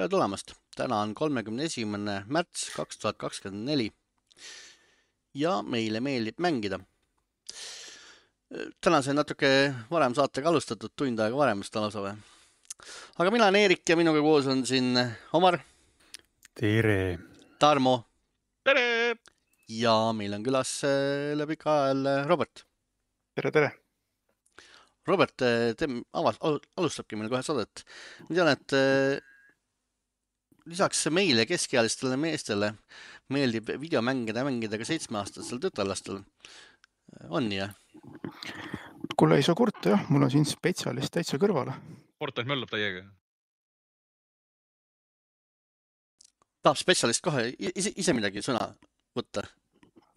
Tere tulemast! Täna on 31. märts 2024 ja meile meeldib mängida. Täna sai natuke varem saatega alustatud, tund aega varem vist lausa või. Aga mina olen Eerik ja minuga koos on siin Omar, Tere! Tarmo Tere! ja meil on külas üle pika ajal Robert. Tere, tere! Robert alustabki meil kohe saadet. Ma tean, et lisaks meile keskealistele meestele meeldib videomängida ka 7-aastastel tütarlastel. On nii, jah? Kuule, ei saa kurta, jah. Mul on siin spetsialist täitsa kõrvale. Fortnite möllab täiega. Tahab spetsialist kohe ise midagi sõna võtta,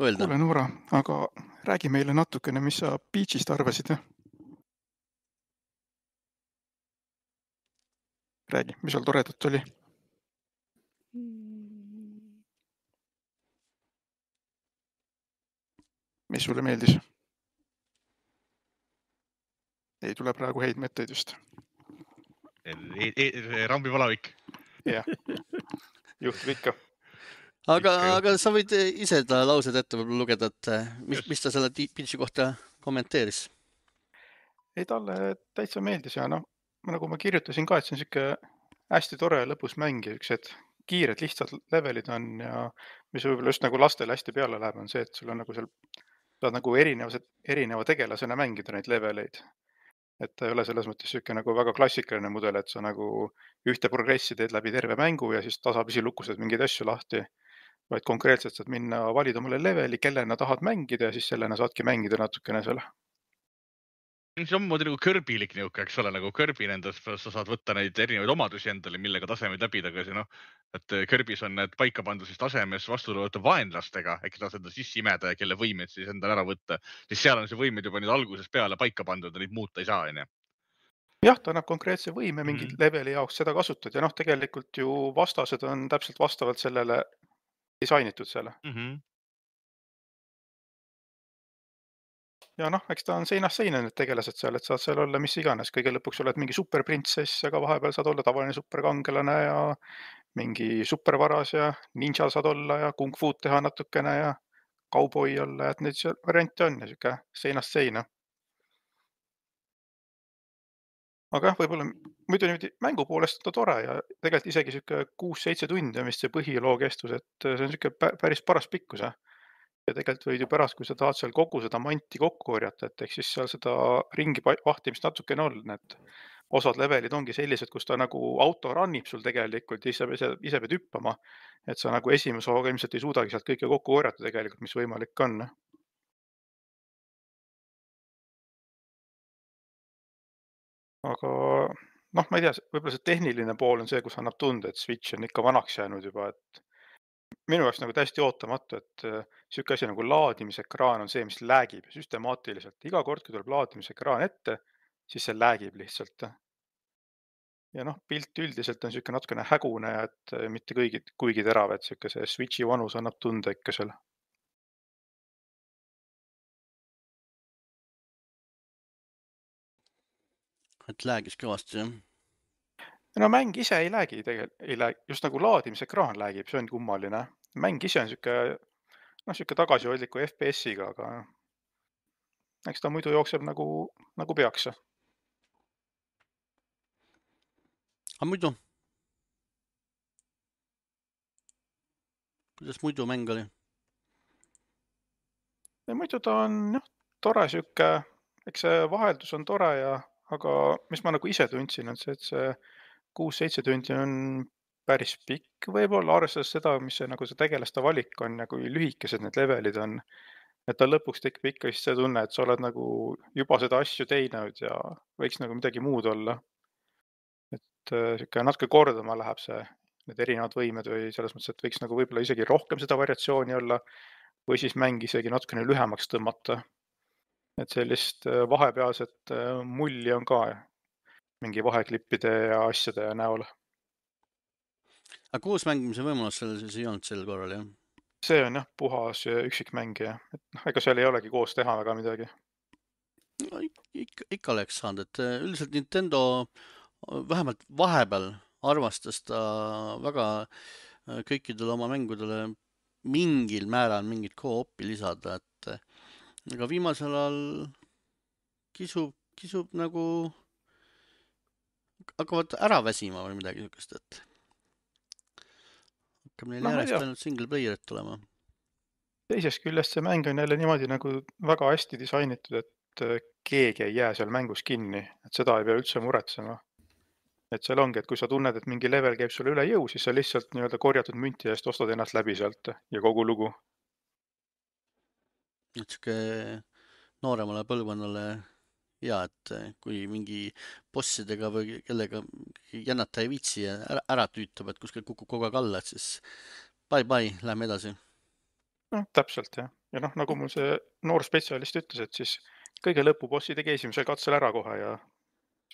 öelda? Kuule, Noora, aga räägi meile natukene, mis sa Peachist arvasid, jah? Räägi, mis seal toredat oli? Mis sulle meeldis? Ei tule praegu häid mõtteid just. Rambi palavik. Jah, juhtub ikka. Aga sa võid ise ta laused ette lugeda, et mis ta selle Peachi kohta kommenteeris? Ei, talle täitsa meeldis ja nagu ma kirjutasin ka, et see on siuke hästi tore lõbus mäng ja üks kiired lihtsad levelid on ja mis võib-olla just nagu lastele hästi peale läheb, on see, et sul on nagu seal saad nagu erineva tegelasena mängida neid leveleid. Et ta ei ole selles mõttes siuke nagu väga klassikaline mudel, et sa nagu ühte progressi teed läbi terve mängu ja siis tasapisi lukused mingeid asju lahti, vaid konkreetselt saad minna valida mulle leveli, kellena tahad mängida ja siis sellena saadki mängida natukene seal. See on moodi nagu Kirbylik niuke, eks ole, nagu Kirby nendes, sa saad võtta neid erinevaid omadusi endale, millega tasemeid läbida, aga et Kirbys on need paika pandud siis tasemes vastulõvata vaenlastega, ehk ta seda sissi imeda ja kelle võimed siis endale ära võtta. Siis seal on see võimed juba nüüd alguses peale paika pandud ja neid muuta ei saa, on ju. Jah, ta annab konkreetse võime mingid leveli jaoks seda kasutad ja tegelikult ju vastased on täpselt vastavalt sellele disainitud selle. Ja eks ta on seinast seina need tegelased seal, et saad seal olla mis iganes. Kõige lõpuks oled mingi superprintsess, aga vahepeal saad olla tavaline superkangelane ja mingi supervaras ja ninja saad olla ja kung fu'd teha natukene ja kauboi olla, et neid variante on ja siuke seinast seina. Aga jah, võib-olla muidu niimoodi mängu poolest on ta tore ja tegelikult isegi siuke 6-7 tundi on vist see põhiloo kestus, et see on siuke päris paras pikkus. Ja tegelikult võid ju pärast, kui sa tahad seal kogu seda manti kokku korjata, et ehk siis seal seda ringi vahtimist natukene on, et osad levelid ongi sellised, kus ta nagu auto runnib sul tegelikult ja ise pead hüppama, et sa nagu esimese hooga ilmselt ei suudagi sealt kõike kokku korjata tegelikult, mis võimalik on. Aga ma ei tea, võib-olla see tehniline pool on see, kus annab tunda, et Switch on ikka vanaks jäänud juba, et minu jaoks nagu täiesti ootamatu, et siuke asi nagu laadimisekraan on see, mis läägib süstemaatiliselt. Iga kord, kui tuleb laadimisekraan ette, siis see läägib lihtsalt. Ja pilt üldiselt on siuke natukene hägune, et mitte kuigi terav, et siuke see Switchi vanus annab tunda ikka seal. Et läägis kõvasti, jah? Mäng ise ei läägi tegelikult, just nagu laadimisekraan läägib, see on kummaline. Mäng ise on siuke tagasihoidliku FPS-iga, aga eks ta muidu jookseb nagu peaks. Aga muidu? Kuidas muidu mäng oli? Ja muidu ta on tore siuke, eks see vaheldus on tore aga mis ma nagu ise tundsin, on see, et see 6-7 tundi on päris pikk võib-olla, arvestades seda, mis see nagu see tegelaste valik on ja kui lühikesed need levelid on. Et ta lõpuks tekib ikka vist see tunne, et sa oled nagu juba seda asju teinud ja võiks nagu midagi muud olla. Et siuke natuke kordama läheb need erinevad võimed või selles mõttes, et võiks nagu võib-olla isegi rohkem seda variatsiooni olla või siis mäng isegi natukene lühemaks tõmmata. Et sellist vahepealset mulli on ka mingi vaheklippide ja asjade näol. Aga koos mängimise võimalus selles ei olnud sel korral, jah? See on puhas üksikmängija. Et ega seal ei olegi koos teha väga midagi. No, ikka oleks saanud, et üldiselt Nintendo vähemalt vahepeal armastas ta väga kõikidele oma mängudele mingil määral mingit co-op'i lisada, et aga viimasel ajal kisub nagu hakkavad ära väsima või midagi niisugust, et hakkab neil No ma ei järjest tea. ainult single player'id tulema. Teisest küljest see mäng on jälle niimoodi nagu väga hästi disainitud, et keegi ei jää seal mängus kinni, et seda ei pea üldse muretsema. Et seal ongi, et kui sa tunned, et mingi level käib sulle üle jõu, siis sa lihtsalt nii-öelda korjatud münti eest ostad ennast läbi sealt ja kogu lugu. Et sihuke nooremale põlvkonnale hea, et kui mingi bossidega või kellega jännata ei viitsi ja ära tüütab, et kuskil kukub kogu aeg alla, et siis bye, lähme edasi. No, täpselt jah. Ja noh, nagu mul see noor spetsialist ütles, et siis kõige lõpubossi tegi esimesel katsel ära kohe ja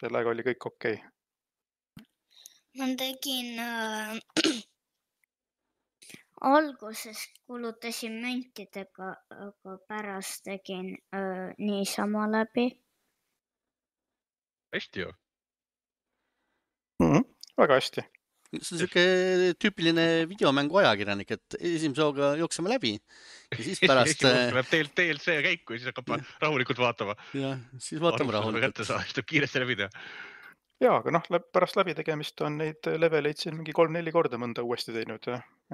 sellega oli kõik okei. Ma tegin alguses kulutasin müntidega, aga pärast tegin niisama läbi. Hästi ju. Väga hästi. See on sihuke tüüpiline videomängu ajakirjanik, et esimese hooga jookseme läbi ja siis pärast Läheb DLC käiku ja siis hakkab rahulikult vaatama. ja siis vaatame rahulikult. Kätte saab, siis tuleb kiiresti läbi teha. Jaa, aga noh, pärast läbitegemist on neid leveleid siin mingi 3-4 korda mõnda uuesti teinud.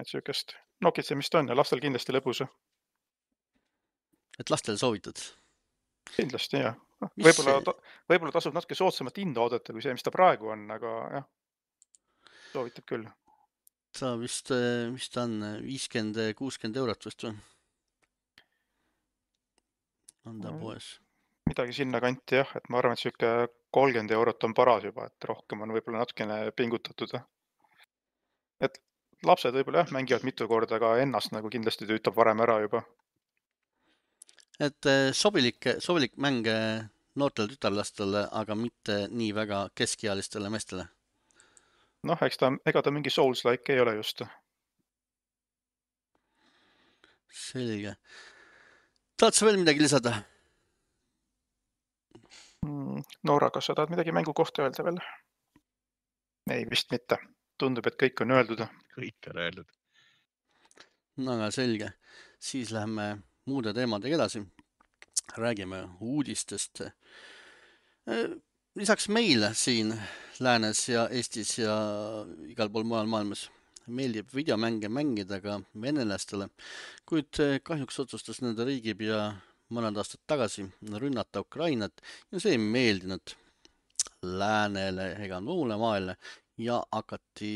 Et siukest nokitsemist on ja lastel kindlasti lõbus. Et lastele soovitad? Kindlasti jah. Mis Võib-olla tasub natuke soodsamat hinda oodata kui see, mis ta praegu on, aga jah, soovitab küll. Ta vist on 50-60 eurot vist või? On ta poes? Midagi sinna kanti jah, et ma arvan, et siuke 30 eurot on paras juba, et rohkem on võib-olla natukene pingutatud. Et lapsed võib-olla jah, mängivad mitu korda, aga ennast nagu kindlasti tüütab varem ära juba. Et sobilik mäng noortele tütarlastele, aga mitte nii väga keskealistele meestele. Noh, ega ta mingi Souls-like ei ole just. Selge. Tahad sa veel midagi lisada? Noora, kas sa tahad midagi mängu kohta öelda veel? Ei, vist mitte. Tundub, et kõik on öeldud. Kõik on öeldud. No aga selge. Siis läheme muude teemadega edasi. Räägime uudistest. Lisaks meile siin Läänes ja Eestis ja igal pool mujal maailmas meeldib videomänge mängida ka venelastele, kuid kahjuks otsustas nende riigipea mõned aastad tagasi rünnata Ukrainat ja see ei meeldinud läänele ega muule maailmale ja hakati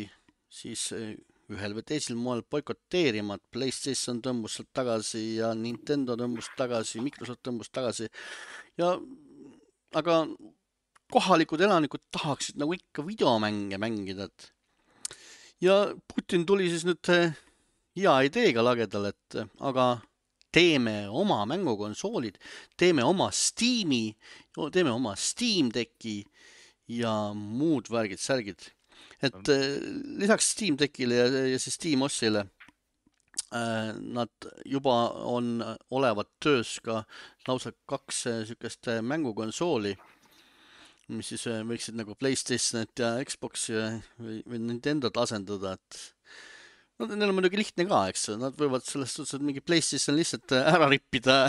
siis ühel või teisel moel boikoteerima, et PlayStation tõmbus sealt tagasi ja Nintendo tõmbus tagasi, Microsoft tõmbus tagasi ja aga kohalikud elanikud tahaksid nagu ikka videomänge mängida, ja Putin tuli siis nüüd hea ideega lagedale, et aga teeme oma mängukonsoolid, teeme oma Steam'i, teeme oma Steam Decki ja muud värgid-särgid. Et lisaks Steam Deckile ja siis Steam Ossile nad juba on olevat töös ka lausa 2 sükest mängukonsooli, mis siis võiksid nagu PlayStationit ja Xboxi või Nintendot asendada, et no, neil on muidugi lihtne ka, eks, nad võivad sellest suhteliselt mingi PlayStation lihtsalt ära rippida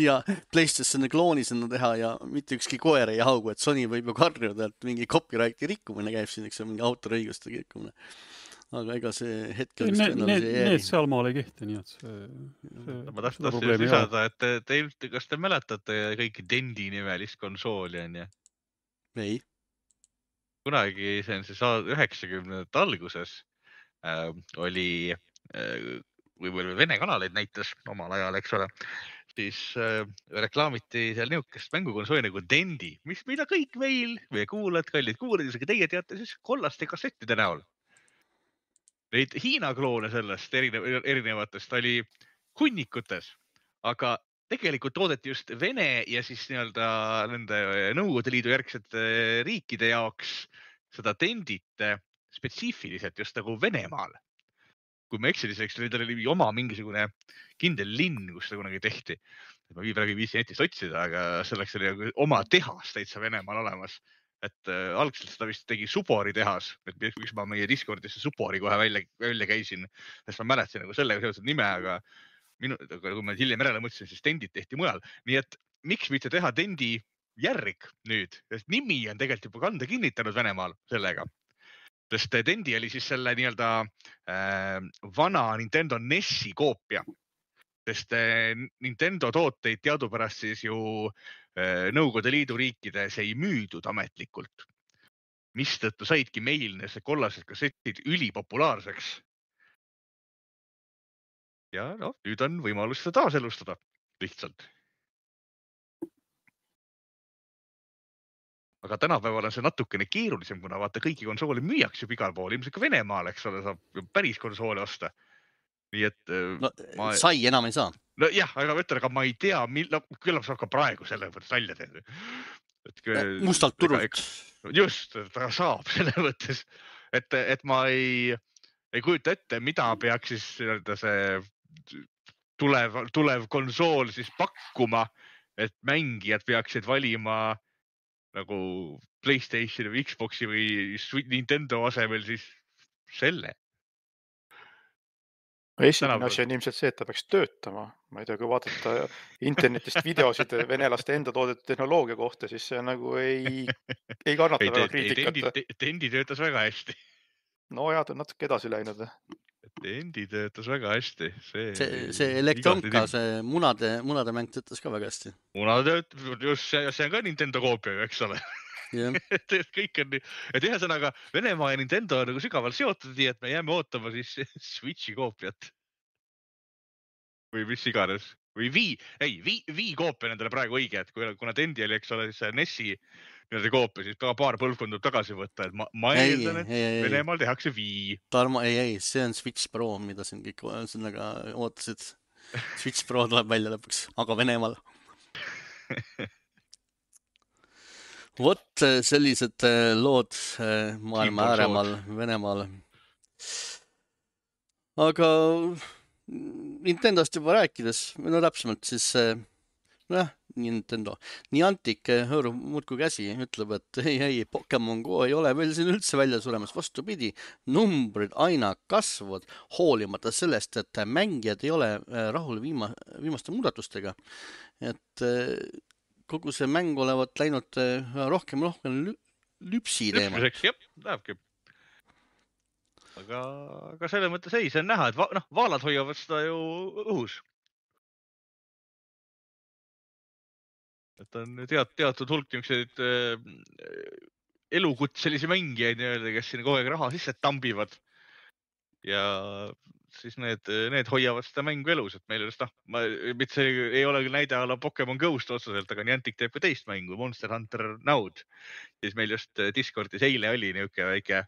ja PlayStationi klooni sinna teha ja mitte ükski koer ei haugu, et Sony võib ju karjuda, et mingi copyrighti rikkumine käib siin, eks, mingi autoriõiguste rikkumine. Aga ega see hetkel vist need sealmaal ei kehti, nii et ma tahtsin lisada, et kas te mäletate kõiki Dendi nimelist konsooli on ju? Ei. Kunagi see on siis 90ndate alguses oli, või Vene kanaleid näitas omal ajal, eks ole, siis reklaamiti seal niisugust mängukonsooli nagu Dendi, mida kõik meil või kuulajad, kallid kuulajad, isegi teie teate siis kollaste kassettide näol. Neid Hiina kloone sellest erinevatest oli hunnikutes, aga tegelikult toodeti just Vene ja siis nii-öelda nende Nõukogude Liidu järgsete riikide jaoks seda Dendit spetsiifiliselt just nagu Venemaal. Kui ma eksin, siis neil oli oma mingisugune kindel linn, kus seda kunagi tehti. Ma praegu viisi netist otsida, aga selleks oli oma tehas täitsa Venemaal olemas. et algselt seda vist tegi Supori tehas, et miks ma meie Discordisse Supori kohe välja käisin, sest ma mäletasin nagu sellega seotud nime, aga kui ma hiljem järele mõtlesin, siis Tendid tehti mujal. Nii et miks mitte teha Tendi järg nüüd, sest nimi on tegelikult juba kanda kinnitanud Venemaal sellega. Sest Tendi oli siis selle nii-öelda vana Nintendo NES-i koopia. Sest Nintendo tooteid teadupärast siis ju Nõukogude Liidu riikides ei müüdud ametlikult. Mistõttu saidki meil need kollased kassetid ülipopulaarseks. Ja no, nüüd on võimalus seda taaselustada lihtsalt. Aga tänapäeval on see natukene keerulisem, kuna vaata kõiki konsoole müüaks juba igal pool. Ilmselt ka Venemaal, eks ole, saab päris konsoole osta. Nii et sai enam ei saa. No jah, aga ma ütlen, aga ma ei tea, küllap saab ka praegu selle võttes välja teha. Mustalt turult. Just, ta saab selle mõttes, et ma ei kujuta ette, mida peaks siis see tulev konsool siis pakkuma, et mängijad peaksid valima nagu PlayStationi või Xboxi või Nintendo asemel siis selle. Esimene asi on ilmselt see, et ta peaks töötama. Ma ei tea, kui vaadata internetist videosid venelaste enda toodetud tehnoloogia kohta, siis see nagu ei kannata väga kriitikat. Tendi töötas väga hästi. No jah, ta on natuke edasi läinud. Tendi töötas väga hästi. See Elektronka, see munade mäng töötas ka väga hästi. Munade töötas, just see on ka Nintendo koopia, eks ole. Kõik on nii, et ühesõnaga Venemaa ja Nintendo on nagu sügavalt seotud, nii et me jääme ootama siis Switchi koopiat. Või mis iganes. Või Wii koopia nendele praegu õige, et kuna Tendi oli, eks ole, siis NES-i koopia, siis paar põlvkonda tagasi võtta, et ma eeldan, et Venemaal tehakse Wii. Tarmo, ei, see on Switch Pro, mida siin kõik ootasid. Switch Pro tuleb välja lõpuks, aga Venemaal. Vot sellised lood maailma ääremaal Venemaal. Aga Nintendost juba rääkides, no täpsemalt siis Nintendo. Niantic hõõrub muudkui käsi, ütleb, et ei, Pokemon Go ei ole veel siin üldse välja suremas. Vastupidi, numbrid aina kasvavad, hoolimata sellest, et mängijad ei ole rahul viimaste muudatustega. Et kogu see mäng olevat läinud rohkem lüpsi teema. Jah, lähebki. Aga selle mõttes ei, see on näha, et vaalad hoiavad seda ju õhus. Et on teatud hulk niisuguseid elukutselisi mängijaid, kes siin kogu aeg raha sisse tambivad. Ja siis need hoiavad seda mängu elus, et meil just see ei ole küll näide ala Pokemon Ghost otseselt, aga Niantic teeb ka teist mängu, Monster Hunter Nowd. Siis meil just Discordis eile oli niisugune väike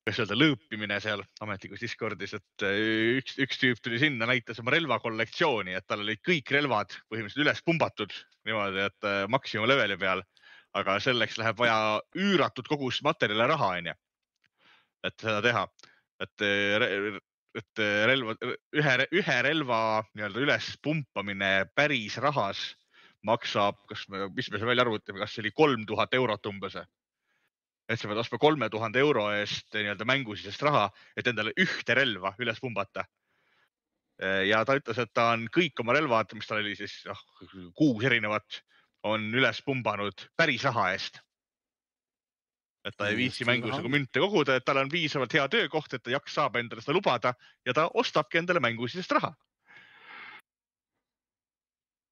lõõpimine seal ametlikus Discordis, et üks tüüp tuli sinna, näitas oma relvakollektsiooni, et tal olid kõik relvad põhimõtteliselt üles pumbatud niimoodi, et maksimum leveli peal, aga selleks läheb vaja üüratud kogus materjale raha, et seda teha. Et ühe relva üles pumpamine päris rahas maksab, mis me välja arvutame, kas see oli 3000 eurot umbes. Et sa pead ostma 3000 euro eest mängusisest raha, et endale ühte relva üles pumbata. Ja ta ütles, et ta on kõik oma relvad, mis tal oli siis 6 erinevat, on üles pumbanud päris raha eest. Et ta ei viitsi mängus nagu münte koguda, et tal on piisavalt hea töökoht, et ta saab endale seda lubada ja ta ostabki endale mängusisest raha.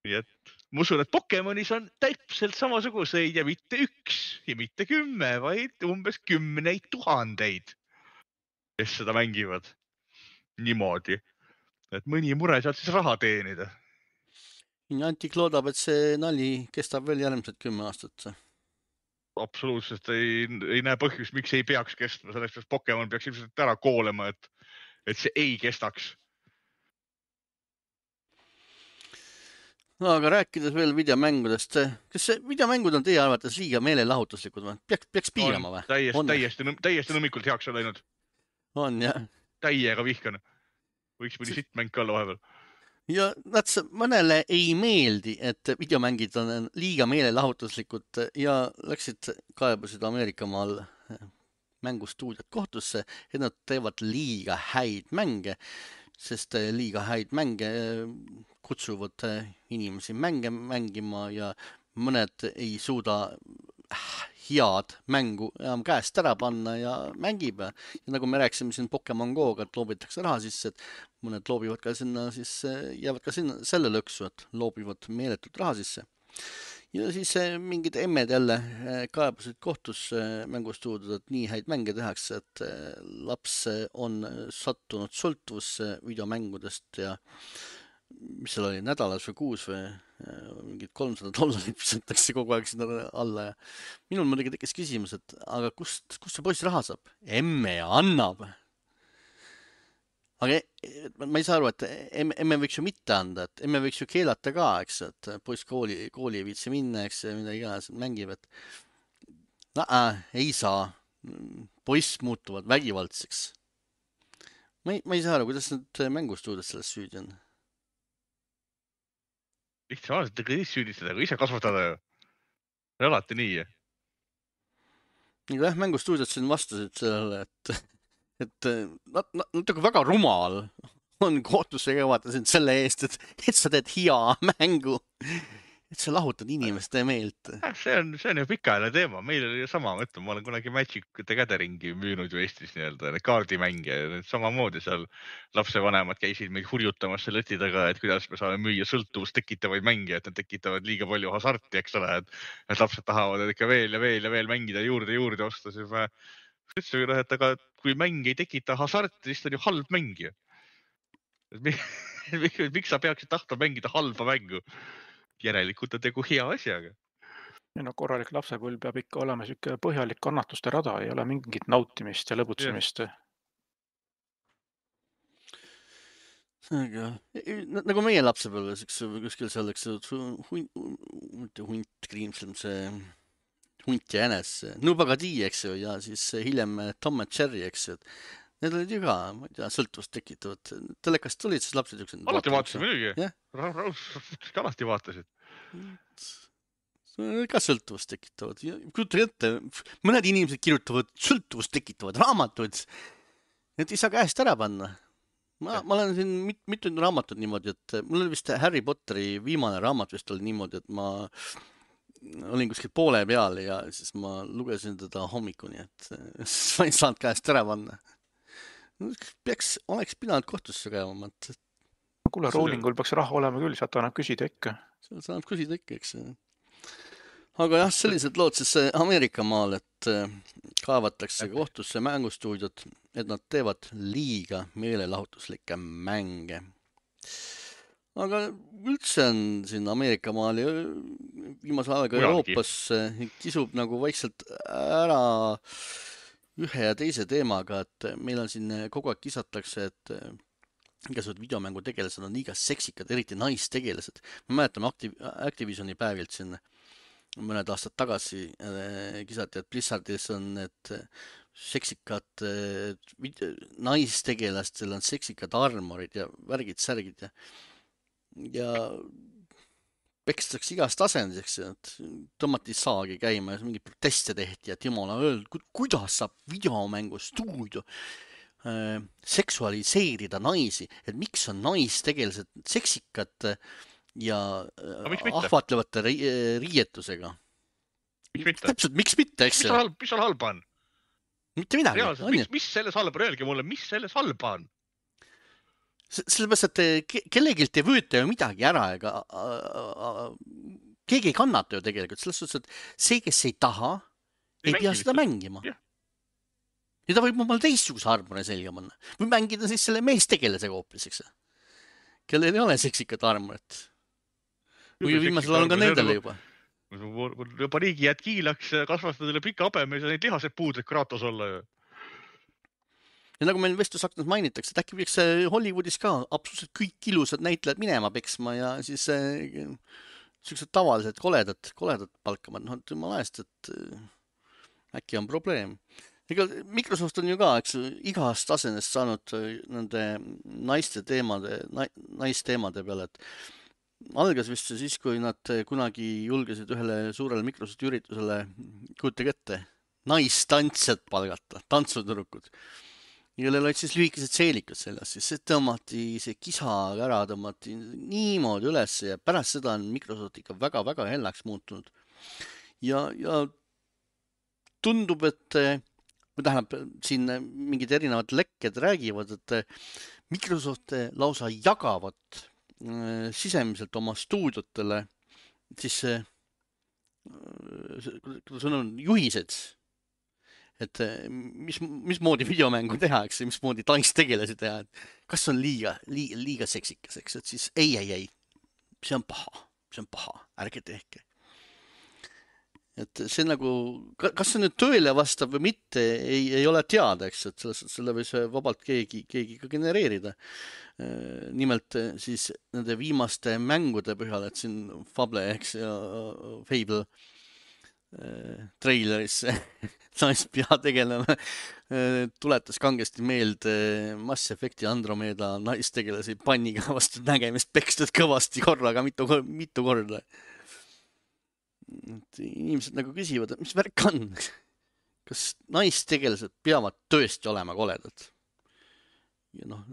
Nii et ma usun, et Pokemonis on täpselt samasuguseid ja mitte 1 ja mitte 10, vaid umbes 10 000, kes seda mängivad niimoodi. Et mõni mure sealt siis raha teenida. Niantic loodab, et see nali kestab veel järgmised 10 aastat. Absoluutselt ei näe põhjust, miks ei peaks kestma. Selleks, et Pokemon peaks ilmselt ära koolema, et see ei kestaks. No, aga rääkides veel videomängudest, kas videomängud on teie arvates liiga meelelahutuslikud või? Peaks piirama või? Täiesti nõmmikult heaks on läinud. On, jah. Täiega vihkan. Võiks mõni sitt mäng ka olla vahepeal. ja mõnele ei meeldi, et videomängid on liiga meelelahutuslikud ja kaebasid Ameerikamaal mängustuudiot kohtusse, et nad teevad liiga häid mänge, sest liiga häid mänge kutsuvad inimesi mänge mängima ja mõned ei suuda head mängu enam käest ära panna ja mängib ja nagu me rääkisime siin Pokemon Go'ga, et loobitakse raha sisse, et mõned loobivad ka sinna, siis jäävad ka sinna selle lõksu, et loobivad meeletult raha sisse. Ja siis mingid emmed jälle kaebasid kohtus mängustuudiot, et nii häid mänge tehakse, et laps on sattunud sõltuvusse videomängudest ja mis seal oli, nädalas või kuus või mingid $300 pisatakse kogu aeg sinna alla ja minul muidugi tekkis küsimus, et aga kust see poiss raha saab? Emme annab. Aga ma ei saa aru, et emme võiks ju mitte anda, et emme võiks ju keelata ka, eks, et poiss kooli ei viitsi minna, eks, midagi iganes mängib, et ei saa. Poiss muutuvad vägivaldseks. Ma ei saa aru, kuidas need mängustuudid selles süüdi on. Lihtsalt ega ise süüdistada, aga ise kasvatada ju. On alati nii. Jah, mängustuudiot siin vastasid sellele, et natuke väga rumal on kohtusse kevada sind selle eest, et sa teed hea mängu, et sa lahutad inimeste meelt. See on ju pikaajaline teema. Meil oli ju sama, ma olen kunagi Magic the Gatheringi müünud ju Eestis nii-öelda, need kaardimänge. Samamoodi seal lapsevanemad käisid meid hurjutamas selle leti taga, et kuidas me saame müüa sõltuvust tekitavaid mänge, et need tekitavad liiga palju hasarti, eks ole, et lapsed tahavad ikka veel ja veel mängida juurde osta. Siis ma ütlesin, et aga kui mäng ei tekita hasarti, siis on ju halb mäng. Miks sa peaksid tahtma mängida halba mängu? Järelikult on tegu hea asjaga. No korralik lapsepõlv peab ikka olema siuke põhjalik kannatuste rada, ei ole mingit nautimist ja lõbutsemist. Nagu meie lapsepõlves, kuskil seal, eks hunt Kriimslem, see hunt ja jänes, Nubagadi, eks ju, ja siis hiljem Tom and Jerry, eks ju. Need olid ju ka, ma ei tea, sõltuvust tekitavad. Telekast tulid, siis lapsed juksed. Alati vaatasid muidugi. Alati vaatasid. Ka sõltuvust tekitavad. Kujutan ette, mõned inimesed kirjutavad sõltuvust tekitavad raamatud. Need ei saa käest ära panna. Ma olen siin mitu raamatut niimoodi, et mul oli vist Harry Potteri viimane raamat vist oli niimoodi, et ma olin kuskil poole peal ja siis ma lugesin teda hommikuni, et ma ei saanud käest ära panna. Oleks pidanud kohtusse käima. Kuule, roolingul peaks raha olema küll, sealt annab küsida ikka. Sealt annab küsida ikka, eks. Aga jah, sellised lood siis Ameerikamaal, et kaevatakse kohtusse mängustuudiot, et nad teevad liiga meelelahutuslikke mänge. Aga üldse on siin Ameerikamaal ja viimase aega Euroopas kisub nagu vaikselt ära ühe ja teise teemaga, et meil on siin kogu aeg kisatakse, et igasugused videomängu tegelased on liiga seksikad, eriti naistegelased. Me mäletame Activisioni päevilt siin mõned aastad tagasi kisati, et Blizzardis on need seksikad naistegelastel on seksikad armorid ja värgid-särgid ja pekstakse igast asenduseks, et tõmmati saagi käima ja mingi proteste tehti, et jumala öeldud, kuidas saab videomängustuudio seksualiseerida naisi, et miks on naistegelased seksikad ja ahvatlevate riietusega. Täpselt, miks mitte, eks? Mis seal halba on? Mitte midagi. Mis selles halba on? Öelge mulle, mis selles halba on? Sellepärast, et kellegilt ei võeta ju midagi ära, ega keegi ei kannata ju tegelikult. Selles suhtes, et see, kes ei taha, ei pea seda mängima. Ja ta võib mulle teistsuguse armure selga panna. Või mängida siis selle meestegelase hoopis, eks? Kellel ei ole seksikat armuret. Või viimasel on ka nendele juba. Juba riigi jääd kiilaks, kasvastad üle pika habeme, ja neid lihased puudlik Kratos olla ju. Ja nagu meil vestlusaknas mainitakse, et äkki võiks Hollywoodis ka absoluutselt kõik ilusad näitlejad minema peksma ja siis sellised tavalised koledad palkama. No, jumala eest, et äkki on probleem. ega Microsoft on ju ka, eks igast tasemest saanud nende naisteemade peale, et algas vist see siis, kui nad kunagi julgesid ühele suurele Microsofti üritusele, kujutage ette, naistantsjad palgata, tantsutüdrukud, kellel olid siis lühikesed seelikud seljas, siis see tõmmati, see kisa ära tõmmati niimoodi üles ja pärast seda on Microsoft ikka väga-väga hellaks muutunud. Ja tundub, et tähendab, siin mingid erinevad lekked räägivad, et Microsoft lausa jagavad sisemiselt oma stuudiotele siis kuidas on juhised, et mismoodi videomängu teha, eks, mismoodi naistegelasi teha, et kas on liiga seksikas, eks, et siis ei, see on paha, ärge tehke. Et see nagu, kas see nüüd tõele vastab või mitte, ei ole teada, eks, et selle võis vabalt keegi ka genereerida. Nimelt siis nende viimaste mängude põhjal, et siin Fable, eks, ja Fable treileris naispeategelane tuletas kangesti meelde Mass Effecti Andromeda naistegelasi panniga vastu nägemist pekstud kõvasti korraga mitu korda. Et inimesed nagu küsivad, et mis värk on? Kas naistegelased peavad tõesti olema koledad? Ja noh,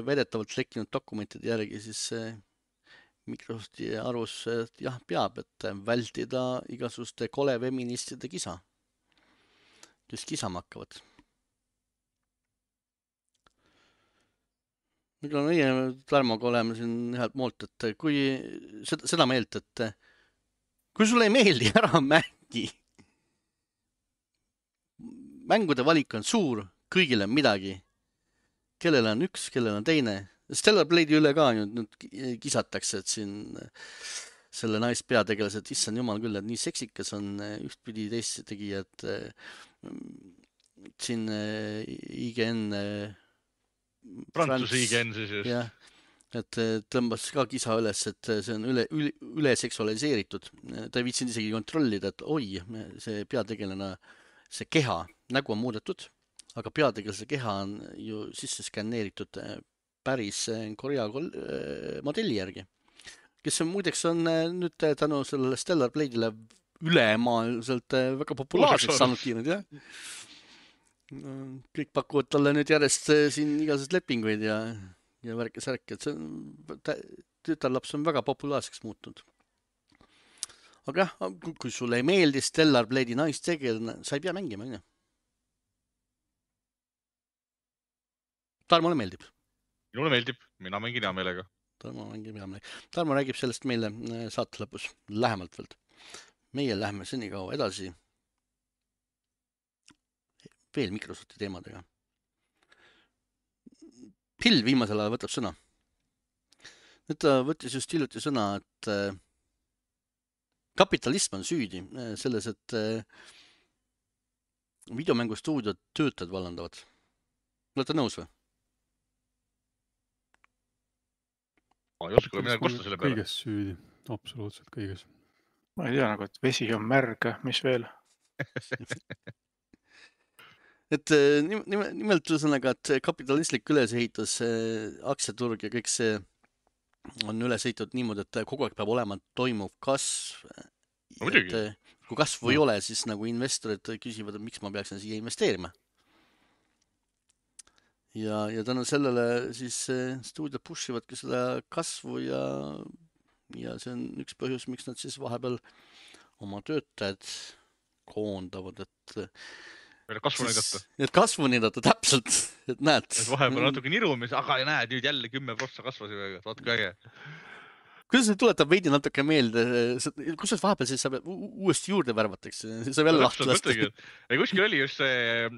väidetavalt lekkinud dokumentide järgi siis Microsofti arvus jah, peab, et vältida igasuguste kole feministide kisa, kes kisama hakkavad. Mida meie Tarmoga oleme siin ühelt moolt, et kui seda meelt, et kui sulle ei meeldi, ära mängi. Mängude valik on suur, kõigil on midagi. Kellel on üks, kellel on teine. Stellar Blade'i üle ka nüüd kisatakse, et siin selle naispeategelased, issand jumal küll, et nii seksikas on ühtpidi teist tegijad. Siin IGN... Prantsuse IGN siis just. Jah. Et tõmbas ka kisa üles, et see on üle seksualiseeritud. Ta ei viitsinud isegi kontrollida, et oi, see peategelane, see keha, nägu on muudetud, aga peategelase keha on ju sisse skanneeritud päris Korea modelli järgi, kes on muideks on nüüd tänu sellele Stellar Blade'ile ülemaailmselt väga populaarseks saanud kiinud, jah. Kõik pakuvad talle nüüd järjest siin igasugused lepinguid ja värke-särke, et see tütarlaps on väga populaarseks muutunud. Aga jah, kui sulle ei meeldi Stellar Blade'i naistegelane, sa ei pea mängima, on ju? Tarmole meeldib. Minule meeldib, mina mängin hea meelega. Tarmo räägib sellest meile saate lõpus lähemalt veel. Meie lähme senikaua edasi veel Microsofti teemadega. Hill viimasel ajal võtab sõna. Nüüd ta võttis just hiljuti sõna, et kapitalism on süüdi selles, et videomängustuudiod töötajad vallandavad. Olete nõus või? Ma ei oska midagi kosta selle peale. Kõiges süüdi, absoluutselt kõiges. Ma ei tea nagu, et vesi on märg, mis veel? Et nimelt ühesõnaga, et kapitalistlik ülesehitus, aktsiaturg ja kõik see on ülesehitud niimoodi, et kogu aeg peab olema toimuv kasv. Kui kasvu ei ole, siis nagu investorid küsivad, et miks ma peaksin siia investeerima. Ja tänu sellele siis stuudiod pushivadki seda kasvu ja see on üks põhjus, miks nad siis vahepeal oma töötajad koondavad, et kasvu näidata. Et kasvu näidata, täpselt, et näed. Et vahepeal natuke nirumis, aga näed, nüüd jälle 10% kasvasime, vaatke äge. Kuidas see tuletab veidi natuke meelde, kus vahepeal siis saab uuesti juurde värvatakse, saab jälle lahti lasta. Kuskil oli just see,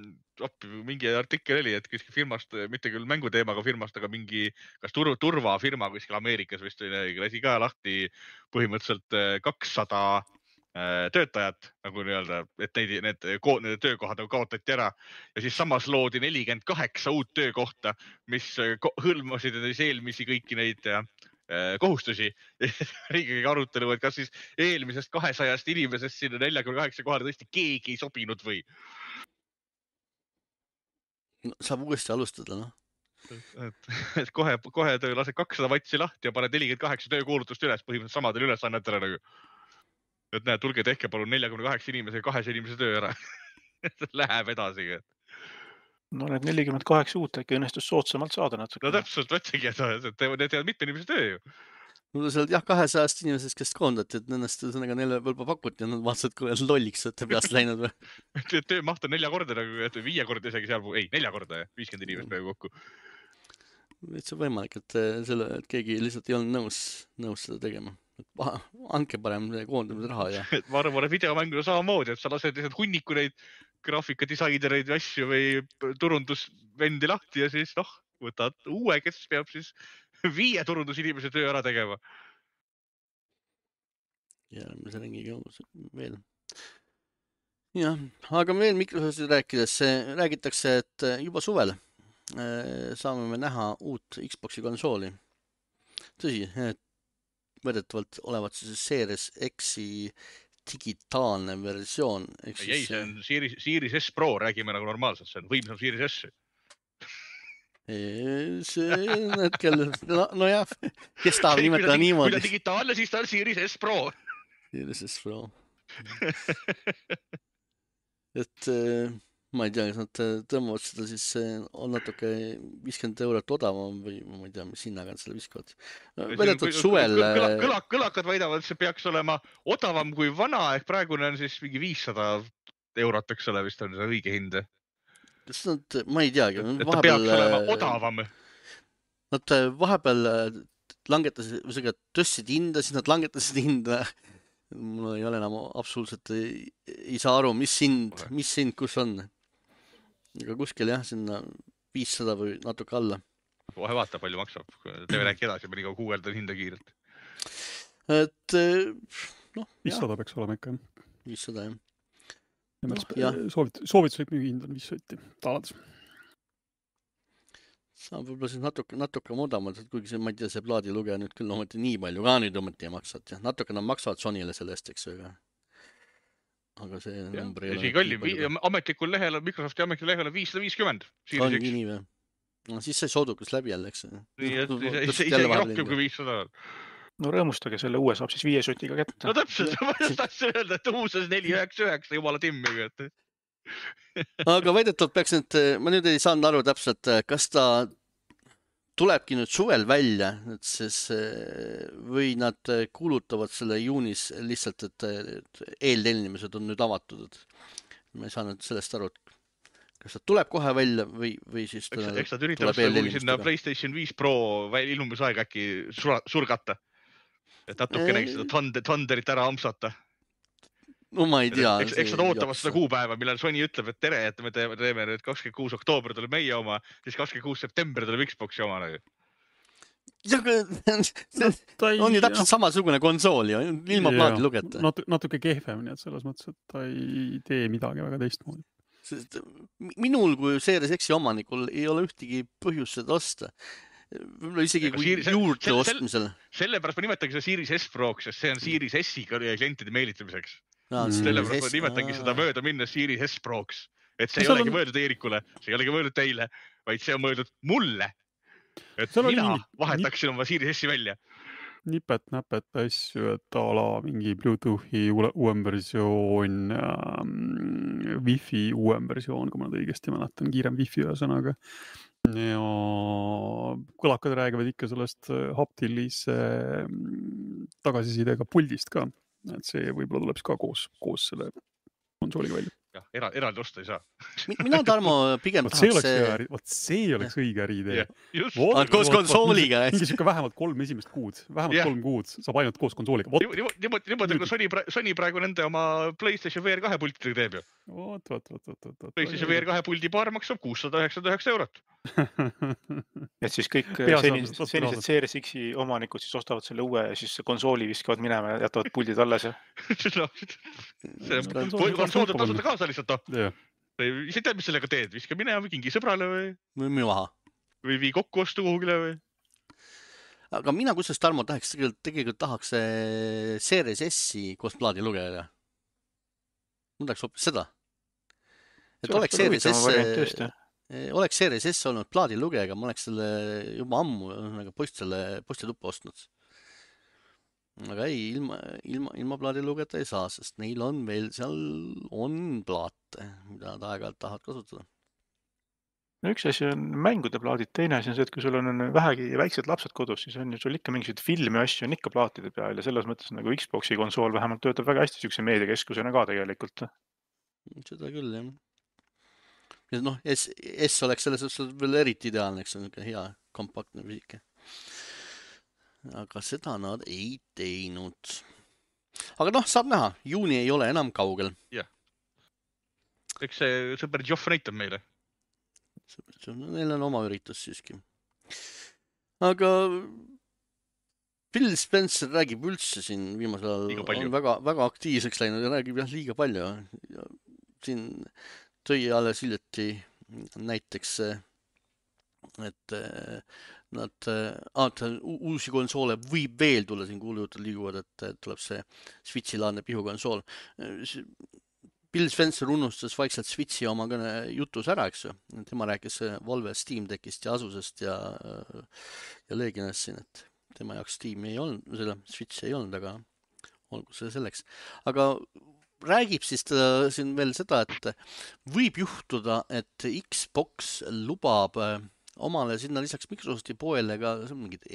mingi artikkel oli, et kuskil firmast, mitte küll mänguteemaga firmast, aga mingi kas turvafirma kuskil Ameerikas vist lasi ka lahti põhimõtteliselt 200 töötajad, nagu nii-öelda, et need töökohad kaotati ära ja siis samas loodi 48 uut töökohta, mis hõlmasid eelmisi kõiki neid kohustusi. Riigiga arutelu, et kas siis eelmisest 200 inimesest sinna 48 kohale tõesti keegi ei sobinud või? No, saab uuesti alustada, noh. Et kohe töö lased 200 vatsi lahti ja paned 48 töökuulutust üles põhimõtteliselt samadel ülesannetele nagu. Et näed, tulge tehke palun 48 inimese ja 200 inimese töö ära. Läheb edasi. No need 48 uut äkki õnnestus soodsamalt saada natuke. No täpselt, võtsegi, et need teevad mitme inimese töö ju. No seal jah, 200 inimesest, kes koondati, et nendest ühesõnaga neile võib-olla pakuti ja nad vaatasid, kui lolliks olete peast läinud või. Töömaht on 4 korda nagu, et 5 korda isegi seal, ei 4 korda ja 50 inimest peaaegu kokku. See on võimalik, et keegi lihtsalt ei olnud nõus seda tegema. Anke parem koondamise raha ja. Ma arvan, et videomänguda samamoodi, et sa lased lihtsalt hunniku neid graafikadisainereid ja asju või turundusvendi lahti ja siis võtad uue, kes peab siis 5 turundusinimese töö ära tegema. Järgmise ringiga veel. Jah, aga veel Microsoftist rääkides, räägitakse, et juba suvel saame me näha uut Xboxi konsooli. Tõsi, võrdetavalt olevat siis Series X-i digitaalne versioon. Ei, see on Series S Pro, räägime nagu normaalselt, see on võimsam Series S. See on hetkel, no jah, kes tahab nimetada niimoodi. Kui ta digitaalne, siis ta on Series S Pro. Series S Pro. Et ma ei tea, kas nad tõmbavad seda siis on natuke 50 eurot odavam või ma ei tea, mis hinnaga nad selle viskavad. Vedetud suvel... Kõlakad väidavad, et see peaks olema odavam kui vana, ehk praegune on siis mingi 500 eurot, eks ole, vist on see õige hind. Kas nad, ma ei teagi. Et ta peaks olema odavam. Nad vahepeal langetasid, tõstsid hinda, siis nad langetasid hinda. Mul ei ole enam absoluutselt ei saa aru, mis hind kus on. Aga kuskil jah, sinna 500 või natuke alla. Kohe vaata, palju maksab. Teeme rääki edasi, ma nii kaua guugeldan hinda kiirelt. Et, 500 peaks olema ikka. 500, jah. Soovituslik müügihind on 500 talades. Saab võib-olla siis natuke modamalt, kuigi see, ma ei tea, see plaadilugeja nüüd küll ometi nii palju ka nüüd ometi ei maksat. Ja natuke nad maksavad Sony'le sellest, eks ju. Aga see number ei ole... Kallim, ametlikul lehel, Microsofti ametlikul lehel on 550. On nii või? No siis sai soodukas läbi jälle, eks. Nii, et isegi rohkem kui 500. No rõõmustage, selle uue saab siis 5 sotiga kätte. No täpselt, ma just tahtsin öelda, et uus on 499, jumala timmiga. Aga väidetavalt peaks nüüd, ma nüüd ei saanud aru täpselt, kas ta tulebki nüüd suvel välja, või nad kuulutavad selle juunis lihtsalt, et eeltellimised on nüüd avatud. Ma ei saanud sellest aru, kas ta tuleb kohe välja või siis ta eks nad üritavad sinna PlayStation 5 Pro ilmumisaega äkki surgata. Et natuke näiks seda Thunderit ära ampsata. No ma ei tea. Eks nad ootavad seda kuupäeva, millal Sony ütleb, et tere, et me teeme nüüd 26 oktoober tuleb meie oma, siis 26 september tuleb Xboxi oma. On ju täpselt samasugune konsool ja ilma plaadi lugeta. Natuke kehvem, nii et selles mõttes, et ta ei tee midagi väga teistmoodi. Minul kui Series X-i omanikul ei ole ühtegi põhjust seda osta. Võib-olla isegi kui juurde ostmisel. Sellepärast ma nimetangi seda Series S Pro'ks, sest see on Series S-i klientide meelitamiseks. Sellepärast ma nimetangi seda mööda minnes Series S Pro'ks. Et see ei olegi mõeldud Eerikule, see ei olegi mõeldud teile, vaid see on mõeldud mulle. Et mina vahetaksin oma Series S-i välja. Nipet-näpet asju, et ala mingi Bluetoothi uuem versioon, Wi-Fi uuem versioon, kui ma nüüd õigesti mäletan, kiirem Wi-Fi ühesõnaga. Ja kõlakad räägivad ikka sellest haptilise tagasisidega puldist ka. Et see võib-olla tuleb ka koos selle konsooliga välja. Jah, eraldi osta ei saa. Mina, Tarmo, pigem tahaks... See oleks õige äriidee. Koos konsooliga. Mingi siuke vähemalt 3 esimest kuud. Vähemalt 3 kuud saab ainult koos konsooliga. Niimoodi, kui Sony praegu nende oma PlayStation VR 2 pultidega teeb ju. PlayStation VR 2 puldi paar maksab 699 eurot. Et siis kõik senised Series X-i omanikud siis ostavad selle uue ja siis konsooli viskavad minema ja jätavad puldid alles. Konsool tuleb tasuta kaasa lihtsalt. Ise tead, mis sellega teed? Viska minema või kingi sõbrale või maha. Või vii kokku ostu kuhugile või? Aga mina kusest, Tarmo, tegelikult tahaks Series S-i koos plaadilugejaga. Ma tahaks hoopis seda. Et oleks Series S... oleks Series S olnud plaadilugejaga, ma oleks selle juba ammu nagu postituppa ostnud. Aga ei, ilma plaadilugejata ei saa, sest neil on veel, seal on plaate, mida nad aeg-ajalt tahavad kasutada. No üks asi on mängude plaadid, teine asi on see, et kui sul on vähegi väiksed lapsed kodus, siis on ju sul ikka mingisuguseid filmi asju on ikka plaatide peal ja selles mõttes nagu Xboxi konsool vähemalt töötab väga hästi siukse meediakeskusena ka tegelikult. Seda küll, jah. Ja noh, S oleks selles suhtes veel eriti ideaalne, eks on niisugune hea kompaktne füüsika. Aga seda nad ei teinud. Aga noh, saab näha, juuni ei ole enam kaugel. Jah. Eks see sõber Joff näitab meile. Neil on oma üritus siiski. Aga Phil Spencer räägib üldse siin viimasel ajal, on väga aktiivseks läinud ja räägib jah liiga palju. Ja siin tõi alles hiljuti näiteks, et nad uusi konsoole võib veel tulla, siin kuulujutud liiguvad, et tuleb see Switchi-laadne pihukonsool. Bill Spencer unustas vaikselt Switchi oma jutus ära, eks ju. Tema rääkis Valve Steam Deckist ja Asusest ja Legionist siin, et tema jaoks Steam ei olnud, selle Switch ei olnud, aga olgu see selleks. Aga räägib siis ta siin veel seda, et võib juhtuda, et Xbox lubab omale sinna lisaks Microsofti poele ka mingid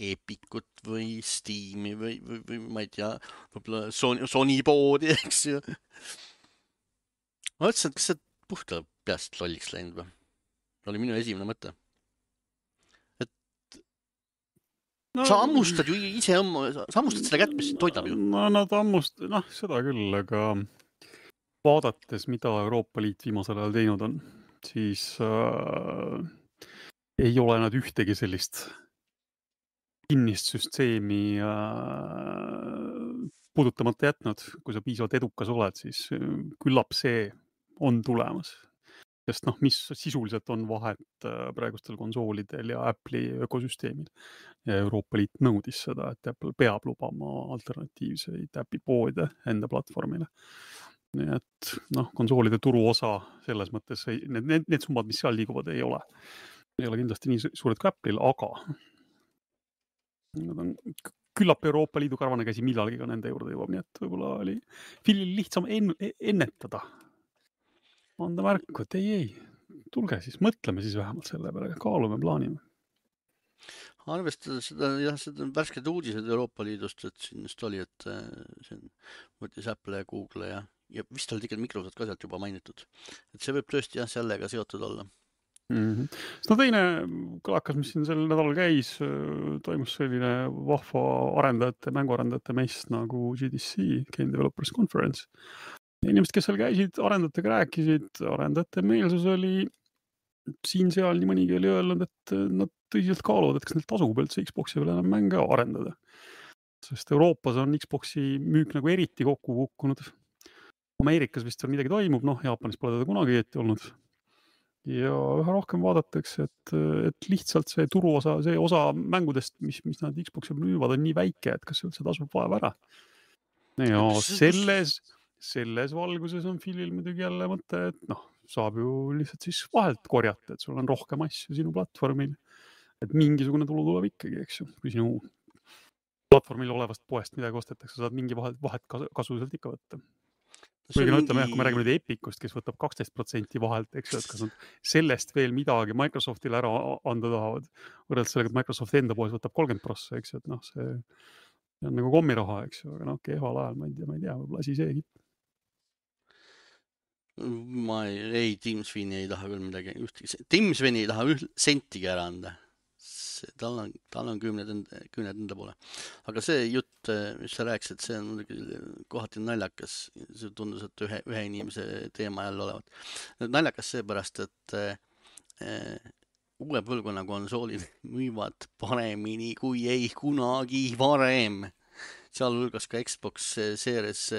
Epicut või Steam'i või ma ei tea, võib-olla Sony poodi, eks ju. Ma mõtlesin, et kas see puhta peast lolliks läinud või? Oli minu esimene mõte. Et sa ammustad ju ise sa ammustad seda kätt, mis toidab ju. No nad seda küll, aga vaadates, mida Euroopa Liit viimasel ajal teinud on, siis ei ole nad ühtegi sellist kinnist süsteemi puudutamata jätnud. Kui sa piisavalt edukas oled, siis küllap see on tulemas. Sest mis sisuliselt on vahet praegustel konsoolidel ja Apple'i ökosüsteemil. Ja Euroopa Liit nõudis seda, et Apple peab lubama alternatiivseid Appi poode enda platvormile. Nii et konsoolide turuosa selles mõttes, need summad, mis seal liiguvad, ei ole kindlasti nii suured kui Apple'il, aga nad on küllap Euroopa Liidu karvane käsi millalgi ka nende juurde jõuab, nii et võib-olla oli Philil lihtsam ennetada. Anda märku, et ei, tulge siis, mõtleme siis vähemalt selle peale, kaalume, plaanime. Arvestades seda värsked uudised Euroopa Liidust, et siin just oli, et siin võttis Apple ja Google ja vist oli tegelikult Microsoft ka sealt juba mainitud. Et see võib tõesti sellega seotud olla. Teine kõlakas, mis siin sel nädalal käis, toimus selline vahva mänguarendajate mess nagu GDC, Game Developers Conference. Inimesed, kes seal käisid, arendajatega rääkisid, arendajate meelsus oli siin-seal nii mõnigi oli öelnud, et nad tõsiselt kaaluvad, et kas neil tasub üldse Xboxi veel enam mänge arendada. Sest Euroopas on Xboxi müük nagu eriti kokku kukkunud. Ameerikas vist midagi toimub, Jaapanis pole teda kunagi olnud. Ja üha rohkem vaadatakse, et lihtsalt see turuosa, see osa mängudest, mis nad Xboxi müüvad, on nii väike, et kas üldse tasub vaeva ära. Ja selles valguses on Philil muidugi jälle mõte, et saab ju lihtsalt siis vahelt korjata, et sul on rohkem asju sinu platvormil. Et mingisugune tulu tuleb ikkagi, eks ju. Kui sinu platvormil olevast poest midagi ostetakse, saad mingi vahet kasu sealt ikka võtta. Kuigi ütleme, kui me räägime nüüd Epicust, kes võtab 12% vahelt, eks ju, et kas nad sellest veel midagi Microsoftile ära anda tahavad, võrreldes sellega, et Microsoft enda poes võtab 30%, eks ju, et see on nagu kommiraha, eks ju, aga kehval ajal, ma ei tea, võib-olla asi see kipp. Tim Sweeney ei taha küll midagi, Tim Sweeney ei taha sentigi ära anda. Tal on kümned enda poole. Aga see jutt, mis sa rääkisid, see on kohati naljakas. See tundus, et ühe inimese teema jälle olevat. Naljakas seepärast, et uue põlvkonna konsoolid müüvad paremini kui ei kunagi varem. Sealhulgas ka Xbox Series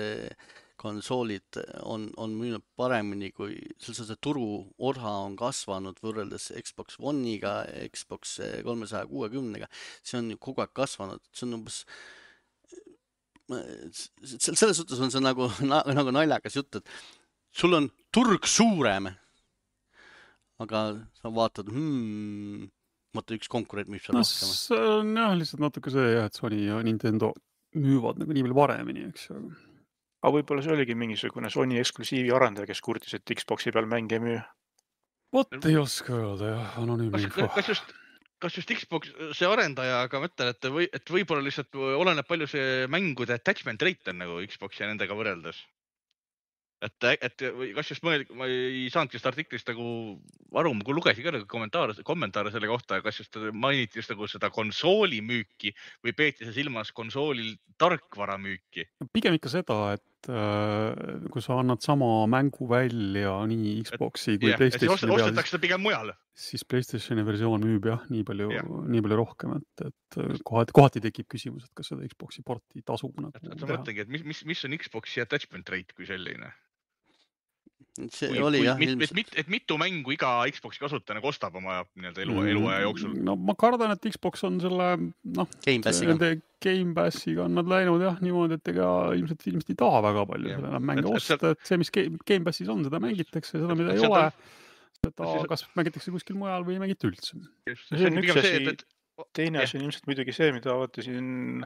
konsoolid on müünud paremini, kui see turuosa on kasvanud võrreldes Xbox One'iga, Xbox 360-ga. See on ju kogu aeg kasvanud. See on umbes... Selles suhtes on see nagu naljakas jutt, et sul on turg suurem, aga sa vaatad, mõtle üks konkurent müüb seal no rohkem. see on jah, lihtsalt natuke see jah, et Sony ja Nintendo müüvad nagu nii palju paremini, eks ju. Aga võib-olla see oligi mingisugune Sony eksklusiivi arendaja, kes kurtis, et Xboxi peal mänge müü. Vot ei oska öelda jah, anonüümne info. Kas just Xbox, see arendaja, aga mõtlen, et võib-olla lihtsalt oleneb palju see mängude attachment rate on nagu Xbox ja nendega võrreldes. Et kas just ma ei saanudki seda artiklist nagu aru, ma lugesin ka nagu kommentaare selle kohta, kas just mainiti just nagu seda konsooli müüki või peeti see silmas konsoolil tarkvara müüki? Pigem ikka seda, et kui sa annad sama mängu välja nii Xboxi kui PlayStationi peal, ostetakse seda pigem mujal. Siis PlayStationi versioon müüb jah, nii palju rohkem, et kohati tekib küsimus, et kas seda Xboxi porti tasub nagu teha. Ma mõtlengi, et mis on Xboxi attachment rate kui selline? Et mitu mängu iga Xboxi kasutaja kostab oma eluaja jooksul? No ma kardan, et Xbox on selle nende Game Passiga on nad läinud jah niimoodi, et ega ilmselt ei taha väga palju selle mänge osta, et see, mis Game Passis on, seda mängitakse, seda mida ei ole, seda kas mängitakse kuskil mujal või ei mängita üldse. See on üks asi. Teine asi on ilmselt muidugi see, mida siin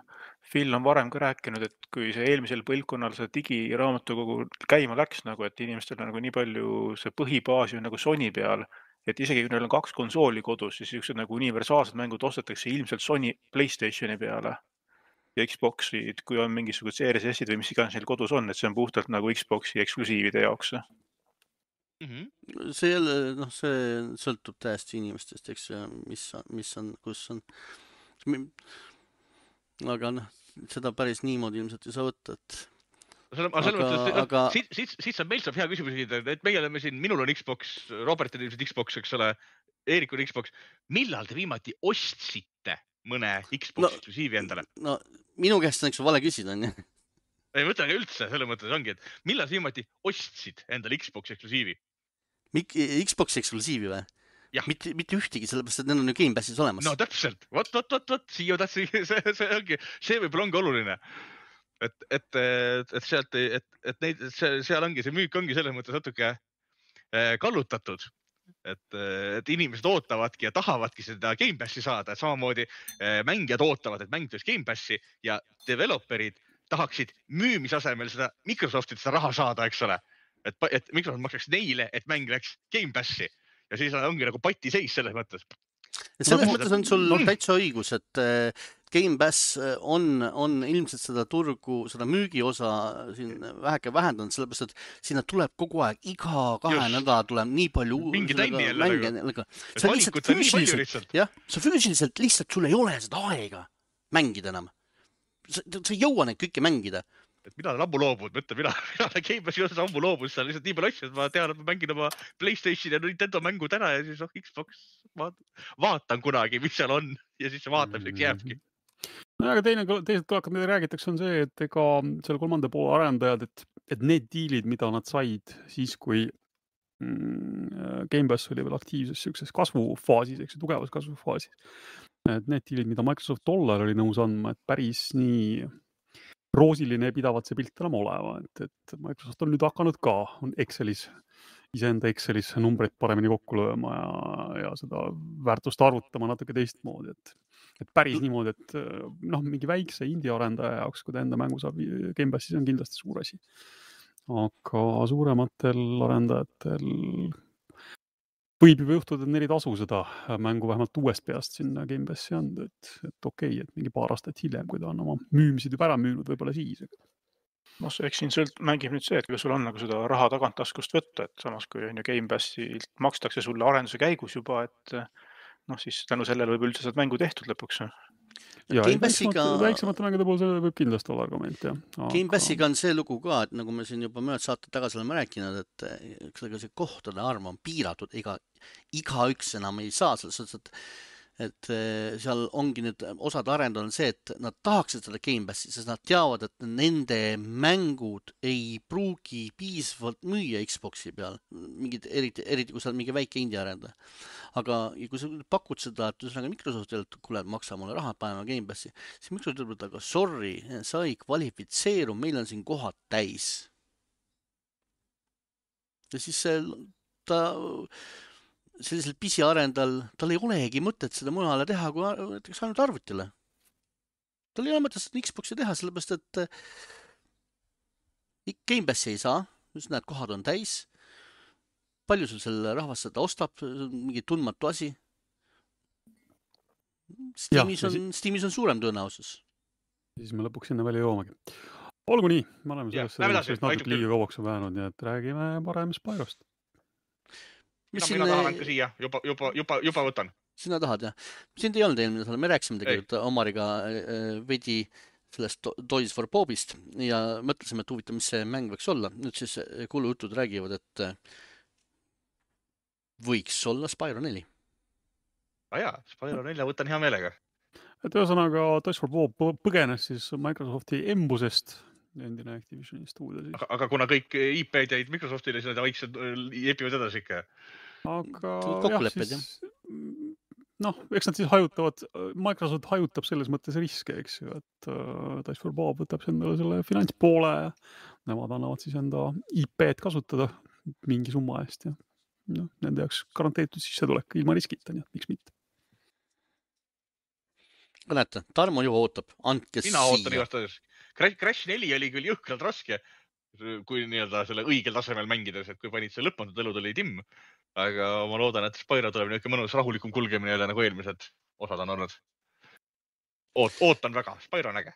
Phil on varem ka rääkinud, et kui see eelmisel põlvkonnal see digiraamatukogu käima läks, nagu, et inimestel on nagu nii palju see põhibaasi on nagu Sony peal, et isegi kui neil on 2 konsooli kodus, siis niisugused nagu universaalsed mängud ostetakse ilmselt Sony PlayStationi peale ja Xboxid, kui on mingisugused CRS-id või mis iganes neil kodus on, et see on puhtalt nagu Xboxi eksklusiivide jaoks. See jälle, see sõltub täiesti inimestest, eks mis on, kus on. Aga seda päris niimoodi ilmselt ei saa võtta, et Siit saab hea küsimus, et meie oleme siin, minul on Xbox, Robert on ilmselt Xbox, eks ole, Eerik on Xbox. Millal te viimati ostsite mõne Xbox eksklusiivi endale? No minu käest on üks vale küsida, on ju? Ei mõtlen üldse, selle mõttes ongi, et millal viimati ostsid endale Xbox eksklusiivi? Xbox eksklusiivi või? Mitte ühtegi, sellepärast, et need on ju Game Passis olemas. No täpselt, vot, siia tahtsi, see võib-olla ongi oluline. Et sealt, et neid, seal ongi, see müük ongi selles mõttes natuke kallutatud, et inimesed ootavadki ja tahavadki seda Game Passi saada, et samamoodi mängijad ootavad, et mäng tuleks Game Passi ja developerid tahaksid müümisasemel seda Microsoftit seda raha saada, eks ole. Et Microsoft maksaks neile, et mäng läks Game Passi ja siis ongi nagu pati seis selles mõttes. Selles mõttes on sul täitsa õigus, et Game Pass on ilmselt seda turgu, seda müügiosa siin väheke vähendanud, sellepärast, et sinna tuleb kogu aeg, iga 2 nädala tuleb nii palju mänge. Sa füüsiliselt lihtsalt sul ei ole seda aega mängida enam. Sa ei jõua neid kõike mängida. Et mina olen ammu loobud, mõtle, mina Game Passi osas ammu loobud, seal lihtsalt nii palju asju, et ma tean, et ma mängin oma PlayStation ja Nintendo mängud ära ja siis Xbox vaatan kunagi, mis seal on ja siis see vaatamiseks jääbki. No aga teised kõlakad, mida räägitakse, on see, et ega selle 3. poole arendajad, et need diilid, mida nad said siis, kui Game Pass oli veel aktiivses sellises kasvufaasis, eks tugevas kasvufaasis, et need diilid, mida Microsoft tollal oli nõus andma, et päris nii roosiline pidavat see pilt enam olema, et Microsoft on nüüd hakanud ka iseenda Excelis numbreid paremini kokku lööma ja seda väärtust arvutama natuke teistmoodi, et päris niimoodi, et mingi väikse indie arendaja jaoks, kui ta enda mängu saab Game Passis, on kindlasti suur asi. Aga suurematel arendajatel võib juba juhtuda, et neil ei tasu seda mängu vähemalt uuest peast sinna Game Passi anda, et okei, et mingi paar aastat hiljem, kui ta on oma müümisid juba ära müünud, võib-olla siis. Eks siin mängib nüüd see, et kui sul on nagu seda raha tagant taskust võtta, et samas kui Game Passilt makstakse sulle arenduse käigus juba, et siis tänu sellele võib üldse saad mängu tehtud lõpuks. Ja väiksemate mängude puhul see võib kindlasti olla argument, jah. Game Passiga on see lugu ka, et nagu me siin juba mõned saated tagasi oleme rääkinud, et see kohtade arv on piiratud, igaüks enam ei saa selles, et seal ongi nüüd osad arendajad on see, et nad tahaksid seda Game Passi, sest nad teavad, et nende mängud ei pruugi piisavalt müüa Xboxi peal, eriti kui sa oled mingi väike indie arendaja. Aga kui sa pakud seda, et Microsoftile, et kuule, maksa mulle raha, paneme Game Passi, siis Microsoft ütleb, aga sorry, sa ei kvalifitseeru, meil on siin kohad täis. Ja siis ta sellisel pisiarendal, tal ei olegi mõtet seda mujale teha, kui näiteks ainult arvutile. Tal ei ole mõtet seda Xboxi teha, sellepärast, et Game Passi ei saa, just näed, kohad on täis. Palju sul selle rahvas seda ostab, mingi tundmatu asi. Steamis on suurem tõenäosus. Siis me lõpuks sinna välja joomegi. Olgu nii, me oleme sellest natuke liiga kauaks väännud, nii et räägime parem Spyrost. Mina tahan ka siia, juba võtan. Sina tahad, jah? Sind ei olnud eelmine, me rääkisime tegelikult Omariga veidi sellest Toys for Bobist ja mõtlesime, et huvitav, mis see mäng võiks olla. Nüüd siis kuulujutud räägivad, et võiks olla Spyro 4. Jaa, Spyro 4 võtan hea meelega. Et ühesõnaga Toys for Bob põgenes siis Microsofti embusest, endine Activisioni stuudio siis. Aga kuna kõik IP-d jäid Microsoftile, siis nad vaikselt jepivad edasi ikka. Aga jah, siis eks nad siis hajutavad, Microsoft hajutab selles mõttes riske, eks ju, et Toys for Bob võtab endale selle finantspoole ja nemad annavad siis enda IP-d kasutada mingi summa eest ja nende jaoks garanteeritud sissetulek ilma riskita, nii et miks mitte. Näete, Tarmo juba ootab, andke Mina ootan igastades. Crash 4 oli küll jõhkralt raske, kui nii-öelda selle õigel tasemel mängides, et kui panid see lõpmatud elu tuli timm. Aga ma loodan, et Spyro tuleb niisugune mõnus rahulikum kulgemine jälle nagu eelmised osad on olnud. Ootan väga, Spyro on äge.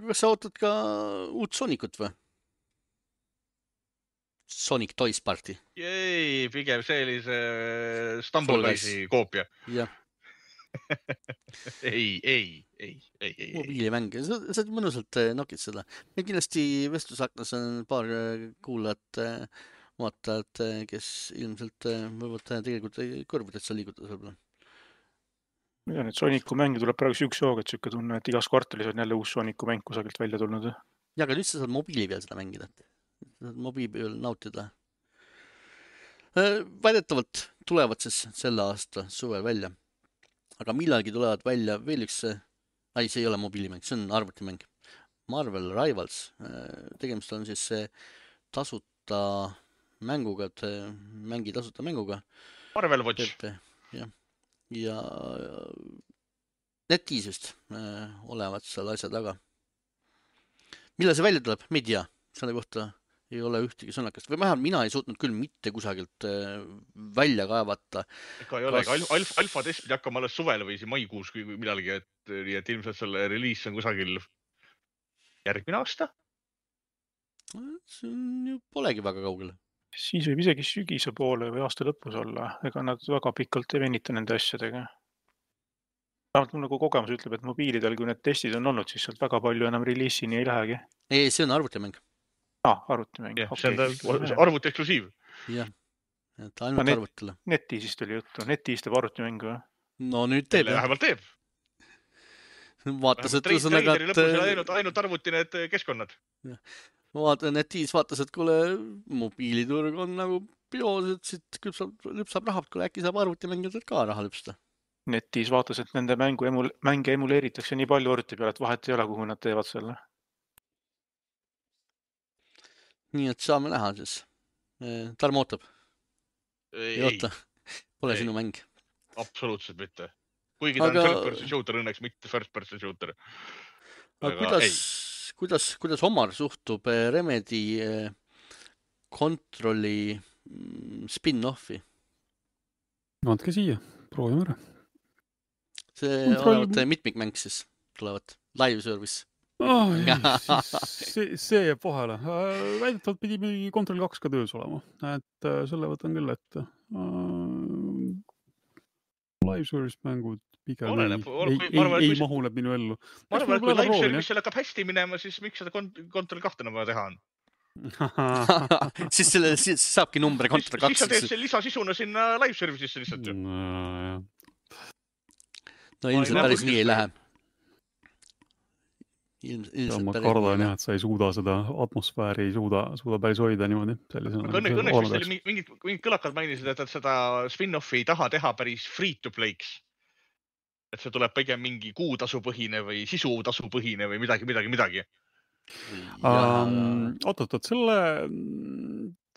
Kas sa ootad ka uut Sonicut või? Sonic Toys Party. Jei, pigem see oli see Stumbleguys'i koopia. Jah. Ei. Mobiilimäng, sa mõnusalt nokid seda. Meil kindlasti vestlusaknas on paar kuulajat, vaatajad, kes ilmselt võivad tegelikult kõrvudest sa liigutada sõbla. Ma tean, et Sonicu mängi tuleb praegu üks jooga, et sükke tunne, et igas kvartalis on jälle uus Sonicu mäng kusagilt välja tulnud. Ja, aga nüüd sa saad mobiili peal seda mängida. Mobiili peal nautida. Väidetavalt tulevad siis selle aasta suvel välja. Aga millalgi tulevad välja veel üks, see ei ole mobiilimäng, see on arvutimäng. Marvel Rivals. Tegemist on siis tasuta mänguga, et mängi tasuta mänguga. Marvel Watch. Ja NetEase'ist olevad seal asja taga. Millal see välja tuleb? Me ei tea. Selle kohta ei ole ühtegi sõnakast. Või vähemalt mina ei suutnud küll mitte kusagilt välja kaevata. Ega ei ole, alfa test pidi hakkama alles suvel või maikuus kui midalgi, et ilmselt selle reliis on kusagil järgmine aasta. See on ju polegi väga kaugele. Siis võib isegi sügise poole või aasta lõpus olla. Ega nad väga pikalt ei venita nende asjadega. Vähemalt mul nagu kogemus ütleb, et mobiilidel, kui need testid on olnud, siis sealt väga palju enam reliisini ei lähegi. Ei, see on arvutimäng. Arvutimäng. See on arvuti eksklusiiv. Jah, et ainult arvutile. NetEase'ist oli juttu. NetEase teeb arvutimängu või? No nüüd teeb. Vähemalt teeb. Vaatas, et ühesõnaga, ainult arvuti need keskkonnad. NetEase vaatas, et kuule, mobiiliturg on nagu bios, et siit lüpsab rahalt, kuule äkki saab arvutimängijad ka raha lüpsta. NetEase vaatas, et nende mänge emuleeritakse nii palju arvuti peale, et vahet ei ole, kuhu nad teevad selle. Nii, et saame näha siis. Tarmo ootab. Ei oota. Pole sinu mäng. Absoluutselt mitte. Kuigi ta on third-person shooter, õnneks mitte first-person shooter. Aga kuidas Omar suhtub Remedy Controli spin-offi? Andke siia, proovime ära. See olevat mitmikmäng siis tulevad. Live service. See jääb vahele. Väidetavalt pidi Control 2 ka töös olema. Et selle võtan küll ette. Live service mängud pigem ei mahu läbi minu ellu. Ma arvan, et kui live service hakkab hästi minema, siis miks seda Control 2 enam vaja teha on? Siis saabki number Control 2. Siis sa teed see lisasisuna sinna live service'isse lihtsalt ju. No ilmselt päris nii ei lähe. Ma kardan jah, et sa ei suuda seda atmosfääri, ei suuda päris hoida niimoodi. Õnneks oli mingid kõlakad mainisid, et seda spin-offi ei taha teha päris free-to-play'ks. Et see tuleb pigem mingi kuutasupõhine või sisutasupõhine või midagi. Oot,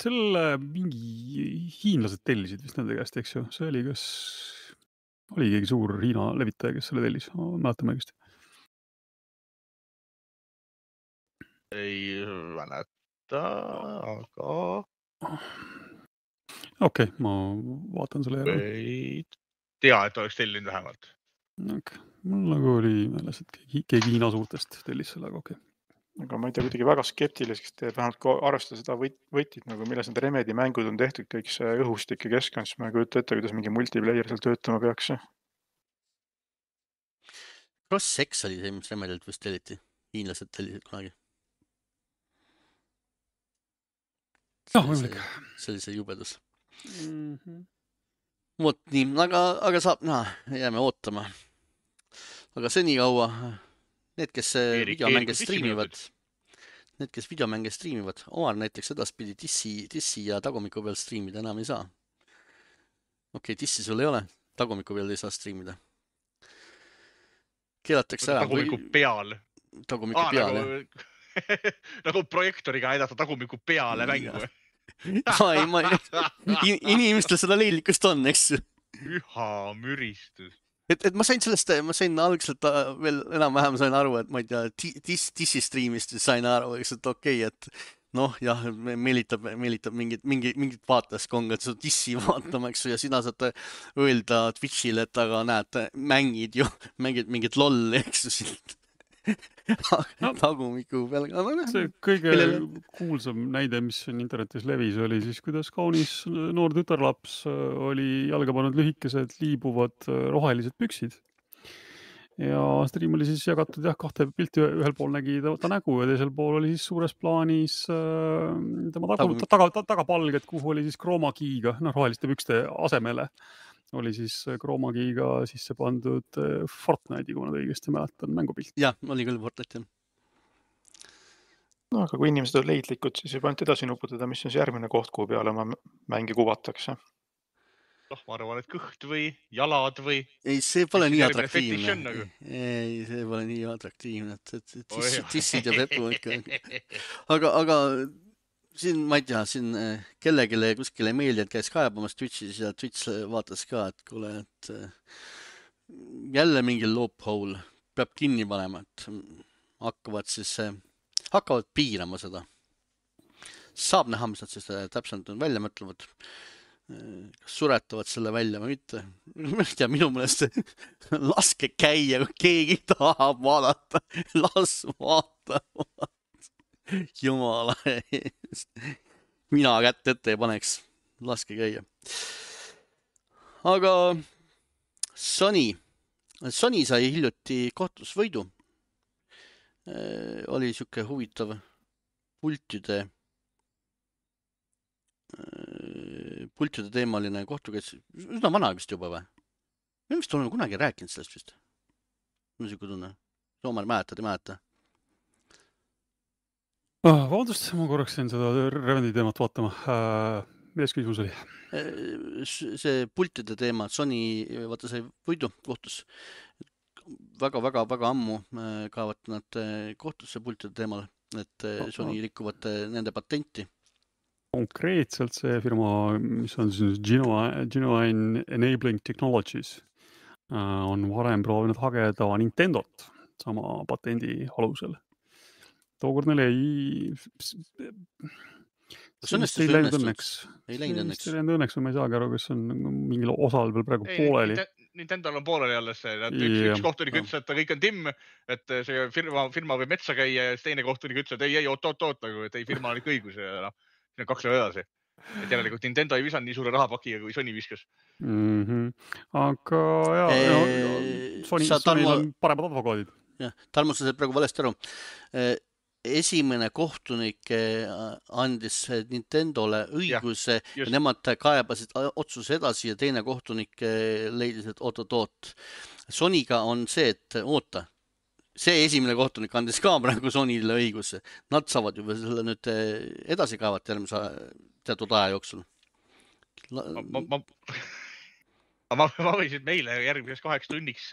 selle mingi hiinlased tellisid vist nende käest, eks ju? See oli oli keegi suur Hiina levitaja, kes selle tellis, mäletame õigesti. Ei mäleta, aga Okei, ma vaatan selle järgi. ei tea, et oleks tellinud vähemalt. Okay. Mul nagu oli meeles, et keegi Hiina suurtest tellis selle, aga okei. Aga ma ei tea, kuidagi väga skeptiliseks teeb, vähemalt kui arvestada seda võtit, nagu milles need Remedi mängud on tehtud, kõik see õhustik ja keskkond, siis ma ei kujuta ette, kuidas mingi multiplayer seal töötama peaks. Cross-X oli see, mis Remedilt vist telliti. Hiinlased tellisid kunagi. Võimalik. See oli see jubedus. Mhm. Vot nii, aga saab näha, jääme ootama. Aga senikaua need, kes videomänge striimivad, Omar näiteks edaspidi dissi ja tagumiku peal striimida enam ei saa. Okei, dissi sul ei ole, tagumiku peal ei saa striimida. Keelatakse ära. Tagumiku peal. Tagumiku peale. Nagu projektoriga näidata tagumiku peale mängu. Inimestel seda leidlikkust on, eks ju. Üha müristus. Et ma sain algselt veel enam-vähem sain aru, et ma ei tea, dissi striimist sain aru, eks, et okei, et noh, jah, meelitab mingit vaatajaskongad seda dissi vaatama, eks ju, ja sina saad öelda Twitch'ile, et aga näed, mängid mingit lolli, eks ju, siit tagumiku peal. See kõige kuulsam näide, mis on internetis levis, oli siis, kuidas kaunis noor tütarlaps oli jalga pannud lühikesed liibuvad rohelised püksid. Ja stream oli siis jagatud kahte pilti, ühel pool nägi ta nägu ja teisel pool oli siis suures plaanis tema tagapalged, kuhu oli siis kroomakiiga, roheliste pükste asemele oli siis kroomakiiga sisse pandud Fortnite'i, kui ma õigesti mäletan, mängupilt. Jah, oli küll Fortnite. No, aga kui inimesed on leidlikud, siis juba ainult edasi nuputada, mis on see järgmine koht, kuhu peale ma mängi kuvatakse. Ma arvan, et kõht või jalad või... Ei, see pole nii atraktiivne. Ei, see pole nii atraktiivne, et dissid ja pepu ikka. Aga siin, ma ei tea, siin kellegile kuskile meeldi, et käis kaebamas Twitch'is ja Twitch vaatas ka, et kuule, et jälle mingi loophole peab kinni panema, et hakkavad piirama seda. Saab näha, mis nad siis täpselt välja mõtlevad. Kas suretavad selle välja või mitte. Ma ei tea, minu mõelest laske käia, kui keegi tahab vaadata. Las vaatavad. Jumala eest. Mina kätt ette ei paneks. Laske käia. Aga Sony sai hiljuti kohtusvõidu. Oli siuke huvitav pultide teemaline kohtukäis. Üsna vana vist juba või? Me vist oleme kunagi rääkinud sellest vist. Mul on siuke tunne. Soomar mäletad, ei mäleta? Vabandust, ma korraks jäin seda Remedi teemat vaatama. Milles küsimus oli? See pultide teema, Sony vaata sai võidu kohtus. Väga ammu kaevad nad kohtusse pultide teemal, et Sony rikuvad nende patenti. Konkreetselt see firma, mis on siis Genuine Enabling Technologies, on varem proovinud hageda Nintendot sama patendi alusel. Tookord neil ei läinud õnneks. Ei läinud õnneks, või ma ei saagi aru, kas on mingil osal veel praegu pooleli. Nintendol on pooleli alles see. Üks kohtunik ütles, et kõik on timm, et see firma võib metsa käia ja teine kohtunik ütles, et ei, oot, et ei, firma on ikka õigus ja siin on 2 lõu edasi. Et järelikult Nintendo ei visanud nii suure rahapakiga, kui Sony viskas. Aga jah, Sonyl on paremad advokaadid. Tarmo, sa said praegu valesti aru. Esimene kohtunik andis Nintendole õiguse ja nemad kaebasid otsuse edasi ja teine kohtunik leidis, et oot. Sonyga on see, et oota. See esimene kohtunik andis ka praegu Sonyle õiguse. Nad saavad juba selle nüüd edasi kaevata järgmise teatud aja jooksul. Ma võisin meile järgmiseks 8 tunniks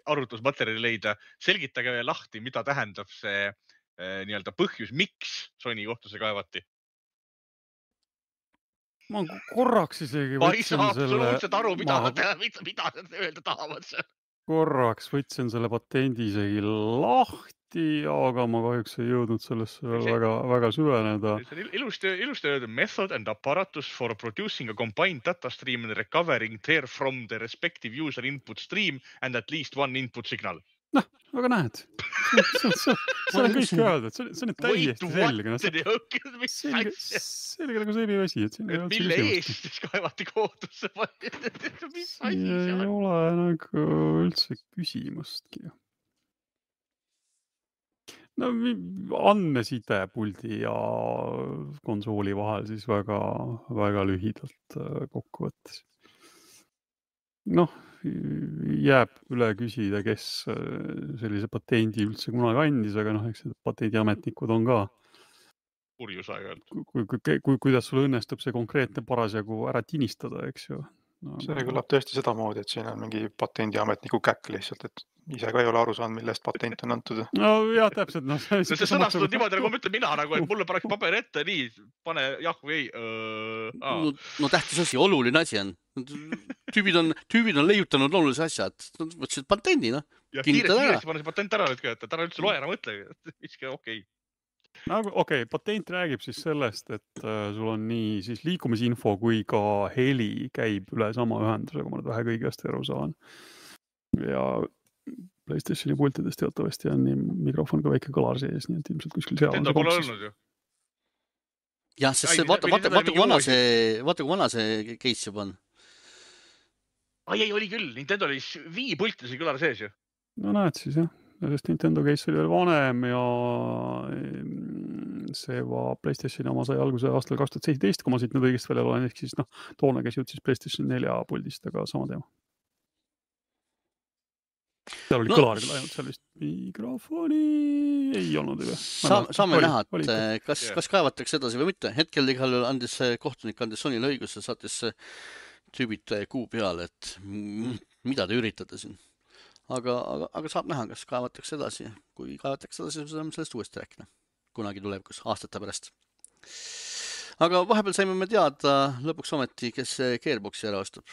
arvutusmaterjali leida. Selgitage lahti, mida tähendab see nii-öelda põhjus, miks Sony kohtusse kaevati? Ma korraks isegi Ma ei võtsin saa selle... absoluutselt aru, mida nad öelda tahavad seal. Korraks võtsin selle patendi isegi lahti, aga ma kahjuks ei jõudnud sellesse veel väga süveneda. See on ilusti öeldud method and apparatus for producing a combined data stream and recovering there from the respective user input stream and at least one input signal. Noh, aga näed, see on kõik öeldud, see on täiesti selge. Selge nagu selline asi, et siin ei ole mille eest siis kaevati kohtusse? Mis asi ei ole nagu üldse küsimustki. No andmeside puldi ja konsooli vahel siis väga lühidalt kokkuvõttes. Noh, jääb üle küsida, kes sellise patendi üldse kunagi andis, aga eks patendiametnikud on ka. Purjus aeg-ajalt. Kuidas sul õnnestub see konkreetne parasjagu ära tinistada, eks ju? No, see kõlab tõesti sedamoodi, et siin on mingi patendiametniku käkk lihtsalt, et ise ka ei ole aru saanud, millest patent on antud. No jah, täpselt. See sõnastud niimoodi, nagu mõtlen mina, nagu, et mulle paneks paber ette, nii, pane jah või ei. No tähtis asi, oluline asi on. Tüübid on leiutanud olulise asja, et võtsid patendi, noh. Ja kiiresti pane see patent ära nüüd ka, et ära üldse loe, ära mõtle. Miski okei. No okei, patent räägib siis sellest, et sul on nii siis liikumisinfo kui ka heli käib üle sama ühenduse, kui ma nüüd vähe kõigest aru saan. Ja PlayStationi pultidest teatavasti on nii mikrofon ka väike kõlar sees, nii et ilmselt kuskil seal on see olnud ju. Jah, sest vaata kui vana see case juba on. Ei, oli küll. Nintendo oli Wii pultis kõlar sees ju. No näed siis jah. Sest Nintendo case oli veel vanem ja see PlayStationi oma sai alguse aastal 2017, kui ma siit nüüd õigest välja loen, ehk siis toona käis jutt siis PlayStation 4 puldist, aga sama teema. Seal oli kõlar küll ainult, seal vist mikrofoni ei olnud üle. Saame näha, et kas kaevatakse edasi või mitte. Hetkel igal kohtunik andis Sonyle õiguse, saatis tüübid kuu peale, et mida te üritate siin. Aga saab näha, kas kaevatakse edasi. Kui kaevatakse edasi, siis saame sellest uuesti rääkida. Kunagi tulevikus, aastate pärast. Aga vahepeal saime me teada lõpuks ometi, kes Gearboxi ära ostab.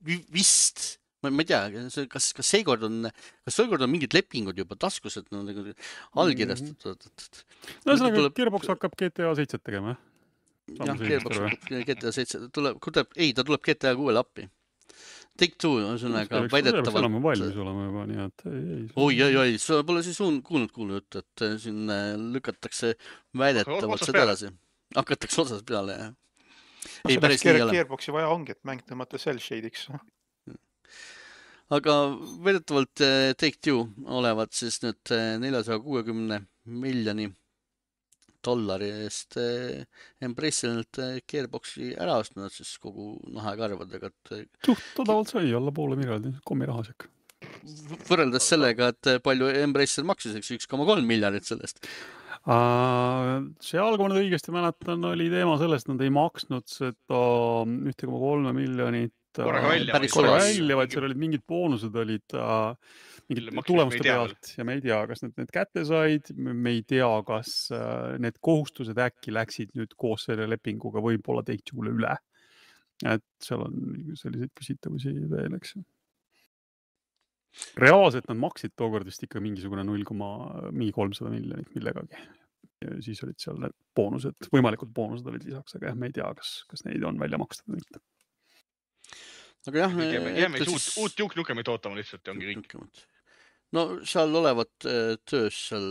Vist, ma ei tea, kas seekord on mingid lepingud juba taskus, et allkirjastatud. No ühesõnaga, Gearbox hakkab GTA 7 tegema. Jah, Gearbox hakkab GTA 7. Ta tuleb GTA 6 appi. Take-Two on sõnaga väidetavalt... Seal on valmis olema juba, nii et Oi, sa pole siis kuulnud juttu, et siin lükatakse väidetavalt seda edasi. Hakatakse otsas peale, jah. Ei, päris nii ei ole. Gearboxi vaja ongi, et mäng tõmmata cell shade'iks. Aga väidetavalt Take-Two olevat siis nüüd $460 miljoni eest Embrace'ilt Gearboxi ära ostnud siis kogu nahakarvadega. Suht odavalt sai alla poole miljardi kommirahasek. Võrreldes sellega, et palju Embrace'il maksis, 1,3 miljardit sellest. Seal, kui ma nüüd õigesti mäletan, oli teema sellest, et nad ei maksnud seda 1,3 miljonit välja, vaid seal olid mingid boonused olid mingid tulemuste pealt ja me ei tea, kas need kätte said, me ei tea, kas need kohustused äkki läksid nüüd koos selle lepinguga võib-olla Take-Two'le üle. Et seal on selliseid küsitavusi veel, eks. Reaalselt nad maksid tookord vist ikka mingisugune 300 miljonit millegagi. Ja siis olid seal need boonused, võimalikud boonused olid lisaks, aga me ei tea, kas neid on välja makstud või mitte. Aga jah, jääme uut Duke Nukemit ootama lihtsalt ja ongi kõik. No seal olevat töös seal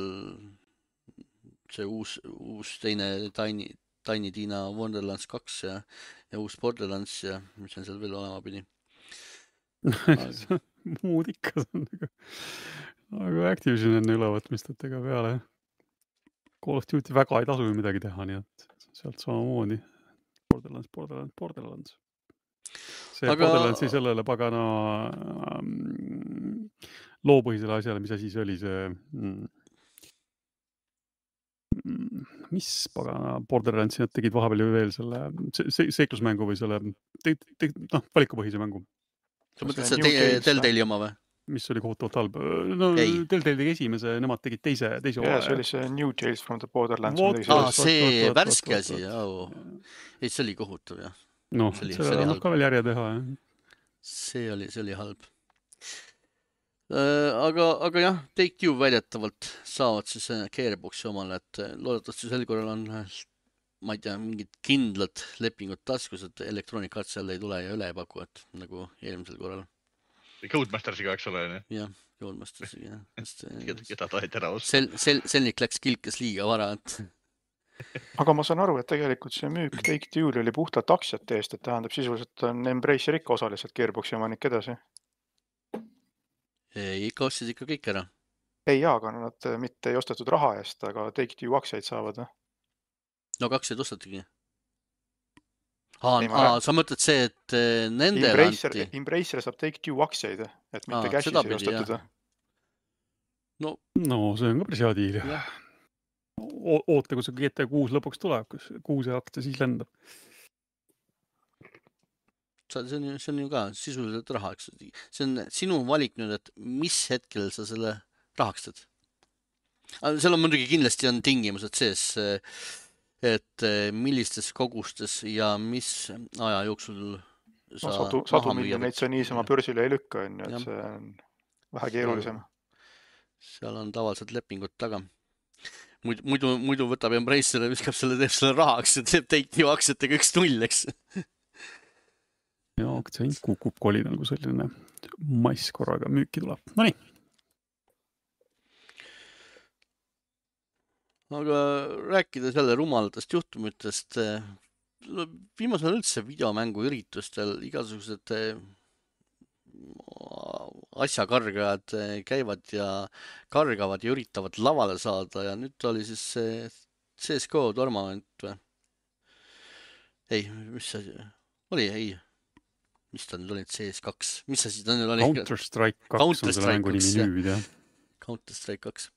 see uus teine Tiny Tina Wonderlands 2 ja uus Borderlands ja mis on seal veel olema pidi. Muud ikka on aga Activision on ülevõtmist, et ega peale Call of Duty väga ei tasu midagi teha, nii et sealt samamoodi Borderlands. See Borderlandsi sellele pagana loopõhisele asjale, mis asi see oli see mis pagana Borderlandsi nad tegid vahepeal ju veel selle seiklusmängu või selle valikupõhise mängu. Sa mõtled see Telltale'i oma või? mis oli kohutavalt halb. No Ei. Telltale tegi esimese, nemad tegid teise ja see hooaja. oli see New Tales from the Borderlands. Vot, midagi Aa, sellist. see vot. värske asi, ei, see oli kohutav, jah. Noh, See oli sellele annab halb. ka veel järje teha. jah. See oli halb. Aga jah, Take-Two väidetavalt saavad siis Gearboxi omale, et loodetavasti sel korral on, ma ei tea, mingid kindlad lepingud taskus, et Electronic Arts jälle ei tule ja üle ei paku, et nagu eelmisel korral. Codemastersiga, eks ole. Jah, Codemastersiga, jah. Keda taheti ära osta. Selnik läks kilkes liiga vara, et aga ma saan aru, et tegelikult see müük Take-Two'l oli puhtalt aktsiate eest, et tähendab sisuliselt on Embracer ikka osaliselt Gearboxi omanik edasi. ikka ostsid ikka kõik ära. Ei jaa, aga nad mitte ei ostetud raha eest, aga Take-Two aktsiaid saavad. No aktsiaid ostatigi. Ei, ma Sa mõtled see, et nendele anti? Embracer saab Take-Two aktsiaid, et mitte cash'is seda ei pidi, ostetud. No No see on ka päris hea diil. jah, Oote, kui see GTA 6 lõpuks tuleb, kus 6 aktsia siis lendab. see on ju ka sisuliselt raha, eks. See on sinu valik nüüd, et mis hetkel sa selle rahastad. Seal on muidugi kindlasti on tingimused sees, et millistes kogustes ja mis aja jooksul sa Sadu miljoneid sa niisama börsile ei lükka, on ju, Jah. et see on vähe keerulisem. Seal on tavaliselt lepingud taga. Muidu võtab Embracer ja viskab selle, teeb selle rahaks ja teeb Take-Two aktsiatega 1-0, eks. Ja aktsiahind kukub kolinal, kui selline mass korraga müüki tuleb. Nonii. Aga rääkides jälle rumalatest juhtumitest, viimasel ajal üldse videomängu üritustel igasugused asjakargajad käivad ja kargavad ja üritavad lavale saada ja nüüd oli siis CSGO tournament või? Ei, mis see oli? Ei. Mis ta nüüd oli? CS2? Mis see siis ta nüüd oli? Counter-Strike 2 on selle mängu nimi nüüd, jah. Counter-Strike 2.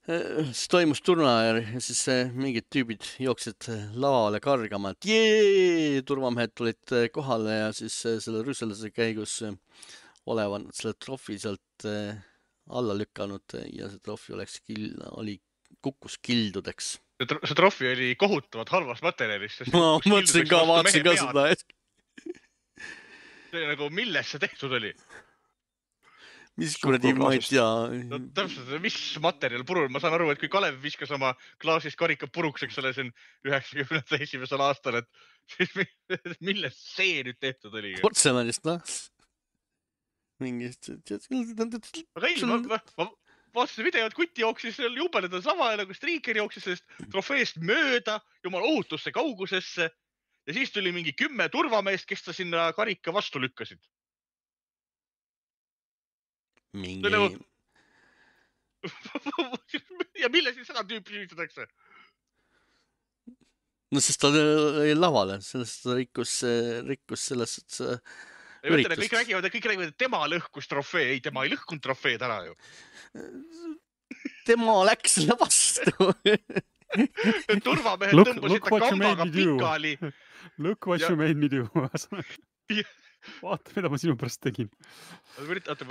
See toimus turnaajal ja siis mingid tüübid jooksid lavale kargama, et jee, turvamehed tulid kohale ja siis selle rüsselase käigus olevat nad selle trofi sealt alla lükanud ja see trofi kukkus kildudeks. See trofi oli kohutavalt halvast materjalist. Ma mõtlesin ka, vaatasin ka seda. See nagu, milles see tehtud oli? Mis kuradi, ma ei tea. No, täpselt, mis materjal purul? Ma saan aru, et kui Kalev viskas oma klaasist karika puruks, eks ole, see on 91. aastal, et milles see nüüd tehtud oli? Portselanist, noh. Mingist... Aga ei, ma vaatasin videot, kuti jooksis jubeledas lava ja nagu striiker jooksis sellest trofeest mööda jumal ohutusse kaugusesse ja siis tuli mingi 10 turvameest, kes ta sinna karika vastu lükkasid. Mingi... Ja mille siis seda tüüpi süütatakse? No sest ta oli lavale, sellest ta rikkus sellest üritust. Kõik räägivad, et tema lõhkus trofee. Ei, tema ei lõhkunud trofeed ära ju. Tema läks selle vastu. Turvamehed tõmbasid ta kambaga pikali. Look what you made me do. Vaata, mida ma sinu pärast tegin. Ma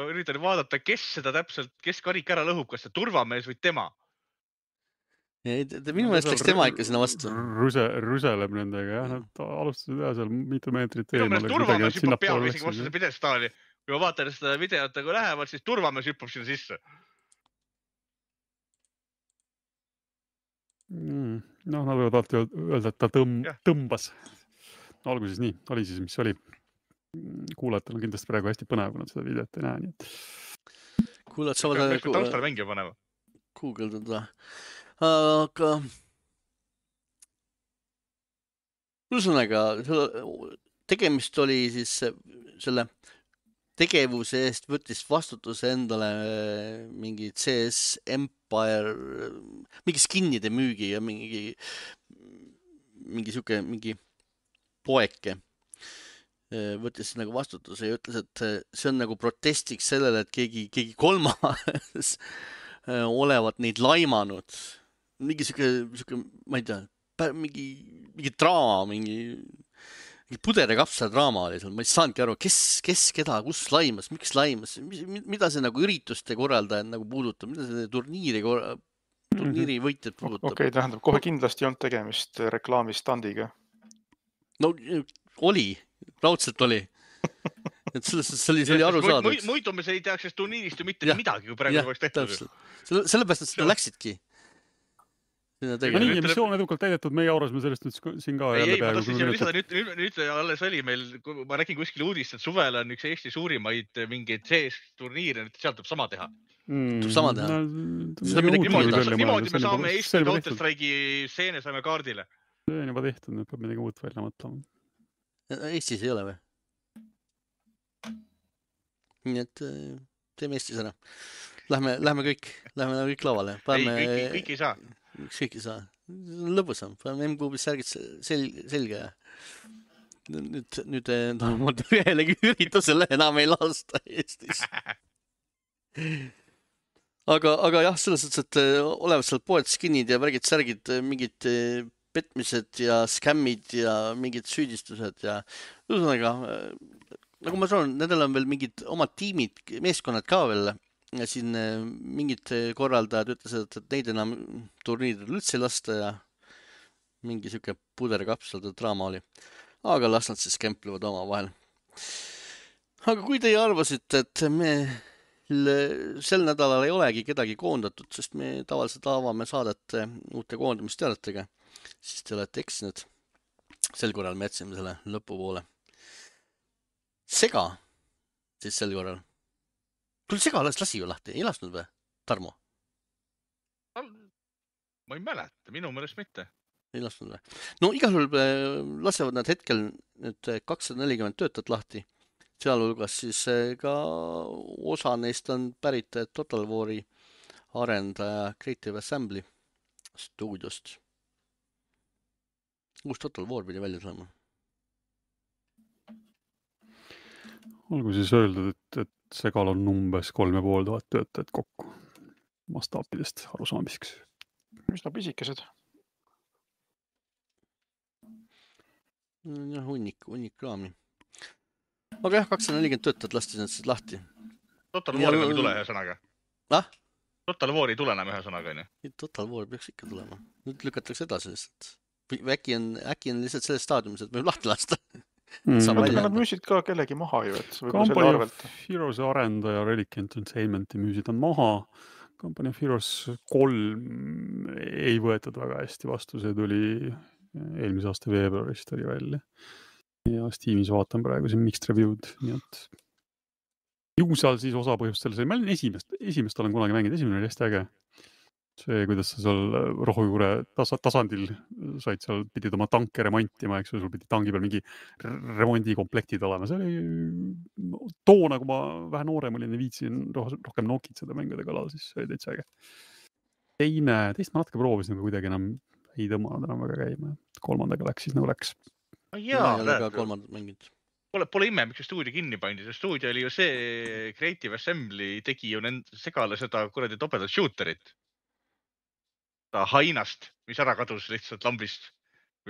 üritan vaadata, kes karik ära lõhub, kas see turvamees või tema. Minu meelest läks tema ikka sinna vastu. Rüseleb nendega, jah. Nad alustasid jah seal mitu meetrit eemale. Minu meelest turvamees hüppab peal isegi vastu seda pidestaali. Kui ma vaatan seda videot, kui lähevad, siis turvamees hüppab sinna sisse. No, nad võivad alati öelda, et ta tõmbas. Alguses nii, oli siis, mis oli. Kuulajatel on kindlasti praegu hästi põnev, kui nad seda videot ei näe. Nii et... Kuulajad saavad... Taustal mängija panema. Googleldada. Aga... Ühesõnaga, tegemist oli siis selle tegevuse eest võttis vastutuse endale mingi CS Empire, mingi skinnide müügi ja mingi poeke. Võttis nagu vastutuse ja ütles, et see on nagu protestiks sellele, et keegi kolmas olevat neid laimanud. Mingi siuke, ma ei tea, mingi draama, puder ja kapsal draama oli seal, ma ei saanudki aru, kes keda, kus laimas, miks laimas, mida see nagu ürituste korraldajad nagu puudutab, mida see turniiri võitjad puudutab. Okei, tähendab, kohe kindlasti ei olnud tegemist reklaamistandiga. No oli, raudselt oli. Et see oli aru saada. Muidu me ei teaks sellest turniirist ju mitte midagi, kui praegu oleks tehtud. Sellepärast, et seda läksidki. Nii, missioon edukalt täidetud, meie aurasime sellest nüüd siin ka jälle peaaegu. Nüüd alles oli meil, ma räägin kuskil uudist, et suvel on üks Eesti suurimaid mingeid CS-turniire, sealt tuleb sama teha. Sama teha. Niimoodi me saame Eesti Counter-Strike'i seene saame kaardile. See on juba tehtud, nüüd peab midagi uut välja mõtlema. Eestis ei ole või? Nii et teeme Eestis ära. Lähme kõik lavale. Kõik ei saa. Kõik ei saa. Lõbusam. Paneme M-kuubis särgid selge. Nüüd ühelegi üritusele enam ei lasta Eestis. Aga jah, selles mõttes, et olevad seal poed, skinid ja värgid, särgid, mingid petmised ja skämmid ja mingid süüdistused ja ühesõnaga, nagu ma saan, nendel on veel mingid omad tiimid, meeskonnad ka veel. Ja siin mingid korraldajad ütlesid, et neid enam turniiridel üldse ei lasta ja mingi siuke puderkapsade draama oli. Aga las nad siis kemplevad oma vahel. Aga kui teie arvasite, et me sel nädalal ei olegi kedagi koondatud, sest me tavaliselt avame saadet uute koondamisteadetega, siis te olete eksinud. Sel korral me jätsime selle lõpupoole. Sega siis sel korral. Küll Sega lasi ju lahti, ei lasknud või, Tarmo? Ma ei mäleta, minu mõelest mitte. Ei lasknud või? No igal juhul lasevad nad hetkel nüüd 240 töötajat lahti. Sealhulgas siis ka osa neist on pärit Total War'i arendaja Creative Assembly stuudiost. Uus Total War pidi välja saama. Olgu siis öeldud, et Segal on umbes 3500 töötajat kokku mastaapidest arusaamiseks. Mis nad pisikesed? Jah, hunnik raami. Aga jah, 240 töötajat lasti nad siis lahti. Total War ei tule ühe sõnaga. Total War ei tule enam ühe sõnaga, on ju? Total War peaks ikka tulema. Nüüd lükatakse edasi lihtsalt. Või äkki on lihtsalt selles staadiumis, et võib lahti lasta. Nad müüsid ka kellegi maha ju, et Company of Heroes arendaja Relic Entertainmenti müüsid on maha. Company of Heroes 3 ei võetud väga hästi vastu, see tuli eelmise aasta veebruarist oli välja. Ja Steamis vaatan praegu siin mixed review'd, nii et ju seal siis osa põhjustel see, ma olen esimest olen kunagi mänginud, esimene oli hästi äge. See, kuidas sa seal rohujuure tasandil said seal, pidid oma tanke remontima, eks sul pidi tangi peal mingi remondikomplektid olema. See oli toona, kui ma vähe noorem olin ja viitsin rohkem nokid seda mängude kalal, siis see oli täitsa äge. Teist ma natuke proovisin, aga kuidagi enam ei tõmmanud enam väga käima. Kolmandaga läks siis nagu läks. Pole ime, miks see stuudio kinni pandi. See stuudio oli ju see Creative Assembly tegi ju Segale seda kuradi topedat shooterit. Hainast, mis ära kadus lihtsalt lambist.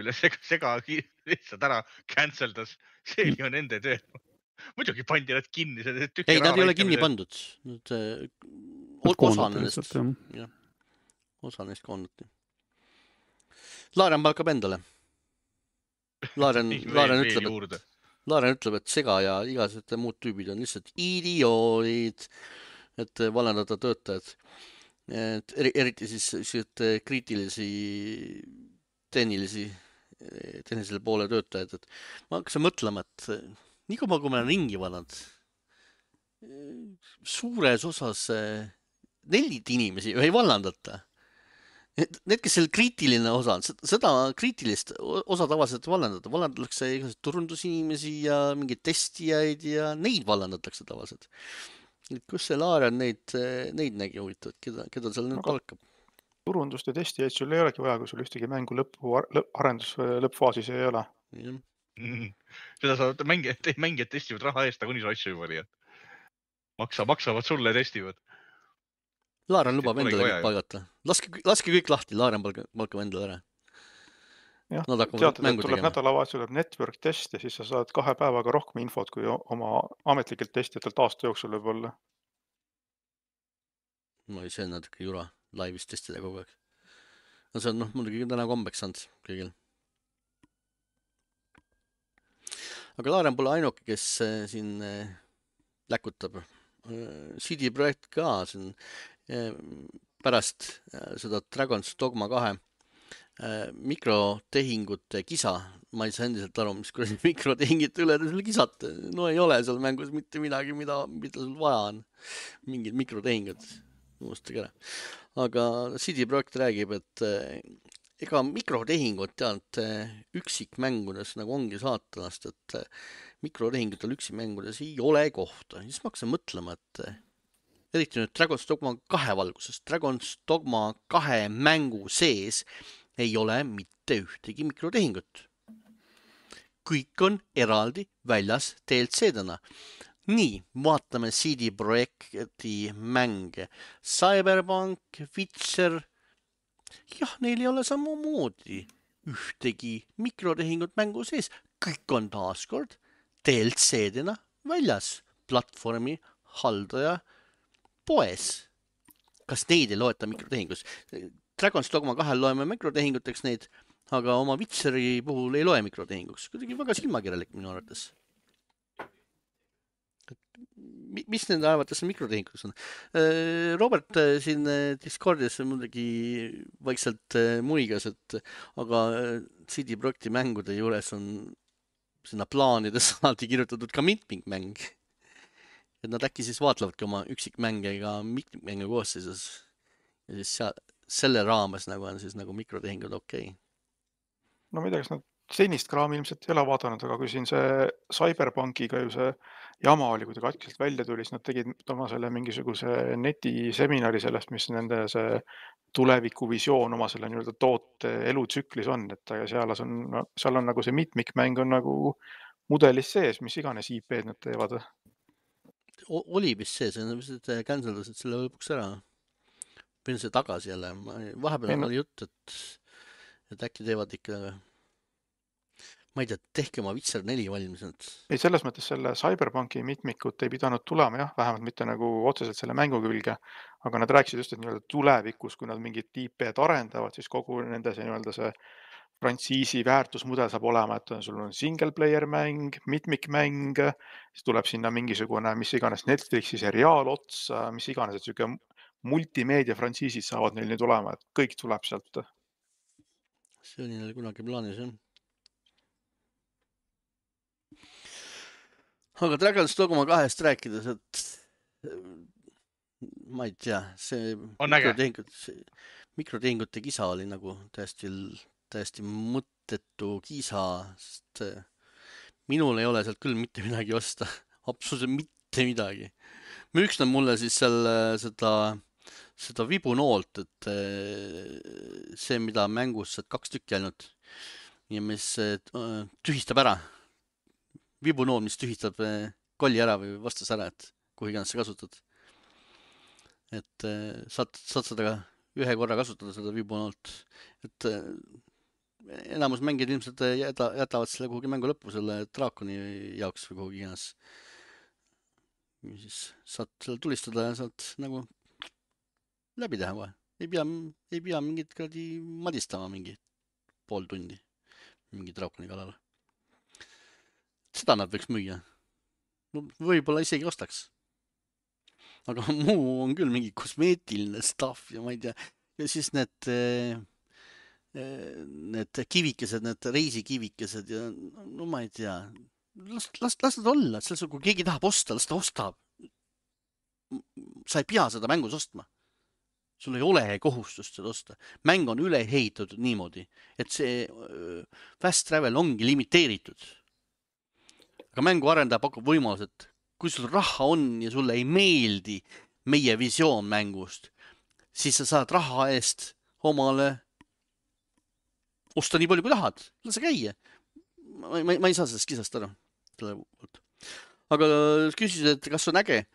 Üle Sega lihtsalt ära canceldas. See oli ju nende töö. Muidugi pandi nad kinni. Ei, nad ei ole kinni pandud. Osa neist koondati. Laaren palkab endale. Laaren ütleb, et Sega ja igased muud tüübid on lihtsalt idioodid, et valendada töötajad. Eriti siis kriitilisi tehnilisele poole töötajad. Ma hakkasin mõtlema, et nii kui ma olen ringi vanad, suures osas 4 inimesi ei vallandata. Need, kes seal kriitiline osa on, seda kriitilist osa tavaliselt vallandatakse igased turundusinimesi ja mingeid testijaid ja neid vallandatakse tavaliselt. Kus see Laaren neid nägi huvitavad, keda seal nüüd palkab? Turundust ja testijaid sul ei olegi vaja, kui sul ühtegi mängu arendus lõppfaasis ei ole. Seda saavad mängijad testivad raha eest, aga nii see asju juba oli. Maksavad sulle ja testivad. Laaren lubab endale kõik palgata. Laske kõik lahti, Laaren palkab endale ära. jah, Nad hakkavad teatud, et mängu tuleb tegema. nädalavahetusel tuleb network test ja siis sa saad 2 päevaga rohkem infot kui oma ametlikelt testijatelt aasta jooksul võib-olla. No see on natuke jura laivis testida kogu aeg. No see on muidugi täna kombeks saanud kõigil. Aga Laaren pole ainuke, kes siin läkutab. CD Projekt ka siin pärast seda Dragon's Dogma 2 mikrotehingute kisa. Ma ei saa endiselt aru, mis kuradi mikrotehingite üle te selle kisate. No ei ole seal mängus mitte midagi, mida sul vaja on. Mingid mikrotehingud. Unustage ära. Aga CD Projekt räägib, et ega mikrotehingut tead üksikmängudes nagu ongi saatanast, et mikrotehingutel üksikmängudes ei ole kohta. Siis ma hakkasin mõtlema, et eriti nüüd Dragon's Dogma 2 valguses. Dragon's Dogma 2 mängu sees ei ole mitte ühtegi mikrotehingut. Kõik on eraldi väljas DLC-dena. Nii, vaatame CD Projekti mänge. Cyberpunk, Witcher. Jah, neil ei ole samamoodi ühtegi mikrotehingut mängu sees. Kõik on taaskord DLC-dena väljas. Platvormi haldaja poes. Kas neid ei loeta mikrotehingus? Dragon's Dogma 2 loeme mikrotehinguteks neid, aga oma Witcheri puhul ei loe mikrotehinguks. Kuidagi väga silmakirjalik minu arvates. Mis nende arvates mikrotehinguks on? Robert siin Discordis muidugi vaikselt muigas, et aga CD Projekti mängude juures on sinna plaanides alati kirjutatud ka mitmikmäng. Et nad äkki siis vaatlevadki oma üksikmänge ja mitmikmänge koosseisus. Ja siis selle raames nagu on siis nagu mikrotehingud okei. No ma ei tea, kas nad senist kraami ilmselt ei ole vaadanud, aga kui siin see Cyberpunkiga ju see jama oli, kui ta katkselt välja tuli, siis nad tegid oma selle mingisuguse netiseminari sellest, mis nende see tulevikuvisioon oma selle nii-öelda toote elutsüklis on, et seal on nagu see mitmikmäng on nagu mudelis sees, mis iganes IP-d nad teevad. Oli vist see on vist canceldasid selle lõpuks ära. Pidin see tagasi jälle. Vahepeal oli jutt, et äkki teevad ikka, ma ei tea, tehke oma Witcher 4 valmis. Ei, selles mõttes selle Cyberpunki mitmikut ei pidanud tulema, jah, vähemalt mitte nagu otseselt selle mängu külge, aga nad rääkisid just, et nii-öelda tulevikus, kui nad mingid IP-d arendavad, siis kogu nende see nii-öelda see frantsiisi väärtusmudel saab olema, et sul on single player mäng, mitmikmäng, siis tuleb sinna mingisugune, mis iganes Netflixi seriaal otsa, mis iganes, et selline multimeedia frantsiisid saavad neil nüüd olema, et kõik tuleb sealt. See oli neil kunagi plaanis, jah. Aga Dragon's Dogma 2-st rääkides, et ma ei tea, see mikrotehingute kisa oli nagu täiesti mõttetu kisa, sest minul ei ole sealt küll mitte midagi osta. Absoluutselt mitte midagi. Müüks nad mulle siis seda vibunoolt, et see, mida mängus saad 2 tükki ainult ja mis tühistab ära. Vibunool, mis tühistab kolli ära või vastas ära, et kuhu iganes sa kasutad. Et saad seda ühe korra kasutada, seda vibunoolt. Et enamus mängijad ilmselt jätavad selle kuhugi mängu lõppu, selle draakoni jaoks või kuhugi iganes. Siis saad selle tulistada ja saad nagu läbi teha kohe. Ei pea mingit kradi madistama mingi pool tundi mingi draakoni kallal. Seda nad võiks müüa. No, võib-olla isegi ostaks. Aga muu on küll mingi kosmeetiline stuff ja ma ei tea. Ja siis need kivikesed, need reisikivikesed ja no ma ei tea. Las nad olla. Kui keegi tahab osta, las ta ostab. Sa ei pea seda mängus ostma. Sul ei ole kohustust seda osta. Mäng on üle ehitatud niimoodi, et see fast travel ongi limiteeritud. Aga mängu arendaja pakub võimalus, et kui sul raha on ja sulle ei meeldi meie visioon mängust, siis sa saad raha eest omale osta nii palju kui tahad. Lase käia. Ma ei saa sellest kisast aru. Aga küsisid, et kas on äge.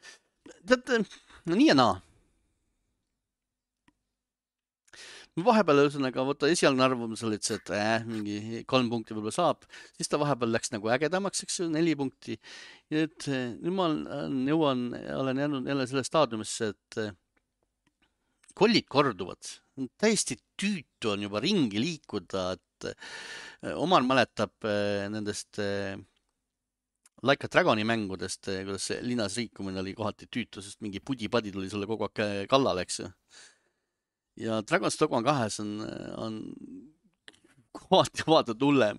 Tead, no nii ja naa. vahepeal ühesõnaga võtta esialgne arvamus oli, et mingi 3 punkti võib-olla saab, siis ta vahepeal läks nagu ägedamaks, eks ju, 4 punkti. Ja nüüd ma olen jäänud jälle selle staadiumisse, et kollid korduvad. Täiesti tüütu on juba ringi liikuda, et Omar mäletab nendest Like a Dragoni mängudest, kuidas see linnas liikumine oli kohati tüütu, sest mingi pudi-padi tuli sulle kogu aeg kallale, eks ju. Ja Dragon's Dogma 2 on kohati vaatad hullem.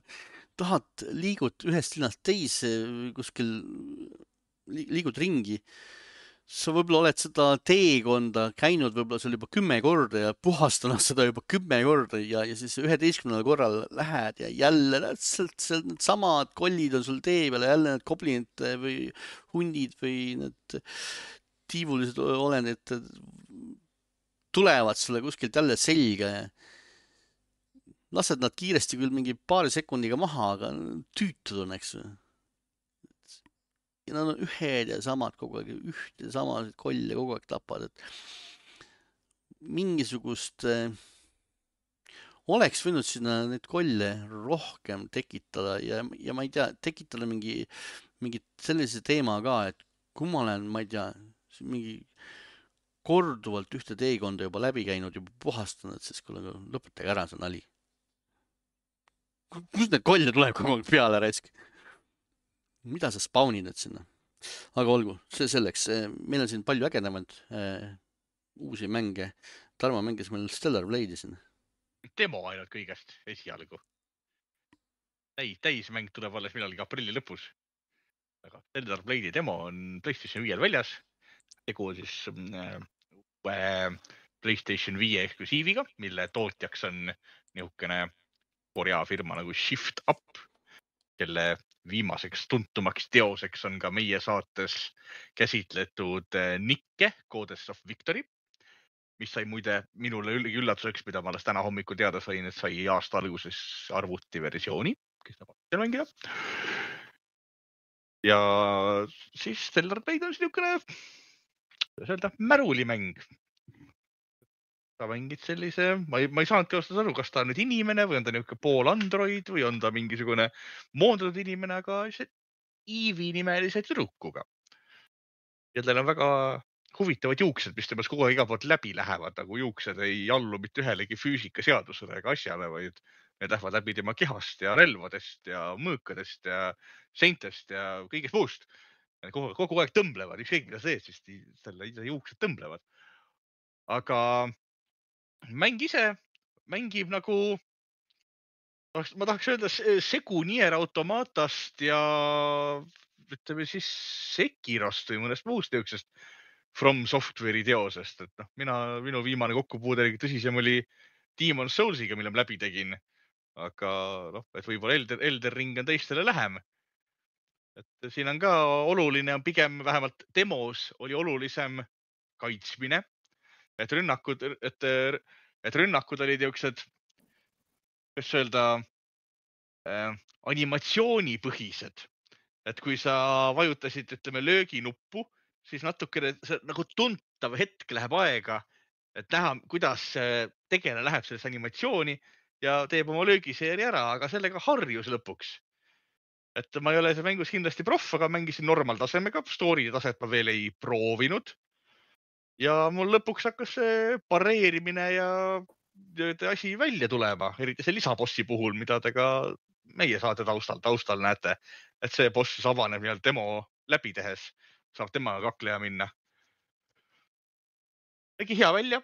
Tahad liigud ühest linnast teise, kuskil liigud ringi. Sa võib-olla oled seda teekonda käinud võib-olla seal juba 10 korda ja puhastanud seda juba 10 korda ja siis 11. korral lähed ja jälle need samad kollid on sul tee peal ja jälle need goblinid või hundid või need tiivulised olendid tulevad sulle kuskilt jälle selga ja lased nad kiiresti küll mingi paari sekundiga maha, aga tüütud on, eks ju. Ja nad on ühed ja samad kogu aeg, üht ja samasid kolle kogu aeg tapad, et mingisugust oleks võinud sinna neid kolle rohkem tekitada ja ma ei tea, tekitada mingi sellise teema ka, et kui ma olen, ma ei tea, mingi korduvalt ühte teekonda juba läbi käinud, juba puhastanud, siis kuule, lõpetage ära see nali. Kus need kolle tuleb kogu aeg peale raisk? Mida sa spawnid nüüd sinna? Aga olgu, see selleks. Meil on siin palju ägedamaid uusi mänge. Tarmo mängis meil Stellar Blade'i siin. Demo ainult kõigest esialgu. Täismäng tuleb alles millalgi aprilli lõpus. Aga Stellar Blade'i demo on PlayStation 5 väljas. Tegu siis PlayStation 5 eksklusiiviga, mille tootjaks on nihukene Korea firma nagu Shift Up, kelle viimaseks tuntumaks teoseks on ka meie saates käsitletud Nikke Codes of Victory, mis sai muide minule üllatuseks, mida ma alles täna hommikul teada sain, et sai aasta alguses arvutiversiooni, kes tahab seal mängida. Ja siis Stellar Blade on niisugune, kuidas öelda, märulimäng. Ta mängid sellise, ma ei saanudki ostas aru, kas ta on nüüd inimene või on ta niisugune pool android või on ta mingisugune moondatud inimene, aga Eevee nimelise tüdrukuga. Ja tal on väga huvitavad juuksed, mis temast kogu aeg iga poolt läbi lähevad, nagu juuksed ei allu mitte ühelegi füüsikaseadusele ega asjale, vaid need lähevad läbi tema kehast ja relvadest ja mõõkadest ja seintest ja kõigest muust. Kogu aeg tõmblevad, ükskõik mida see, siis selle juuksed tõmblevad. Aga mäng ise mängib nagu, ma tahaks öelda, segu Nier Automatast ja ütleme siis Sekirost või mõnest muust niisugusest From Software'i teosest. Et minu viimane kokkupuude tõsisem oli Demon's Soulsiga, mille ma läbi tegin. Aga et võib-olla Elden Ring on teistele lähem. Et siin on ka oluline, pigem vähemalt demos oli olulisem kaitsmine. Et rünnakud olid niisugused, kuidas öelda, animatsioonipõhised. Et kui sa vajutasid, ütleme, lööginuppu, siis natukene nagu tuntav hetk läheb aega, et näha, kuidas tegelane läheb selles animatsiooni ja teeb oma löögiseeri ära, aga sellega harjus lõpuks. Et ma ei ole see mängus kindlasti proff, aga mängisin normaltasemega, story taset ma veel ei proovinud. Ja mul lõpuks hakkas see pareerimine ja asi välja tulema, eriti see lisabossi puhul, mida te ka meie saate taustal näete, et see boss avaneb demo läbi tehes, saab temaga kakleja minna. Tegi hea välja.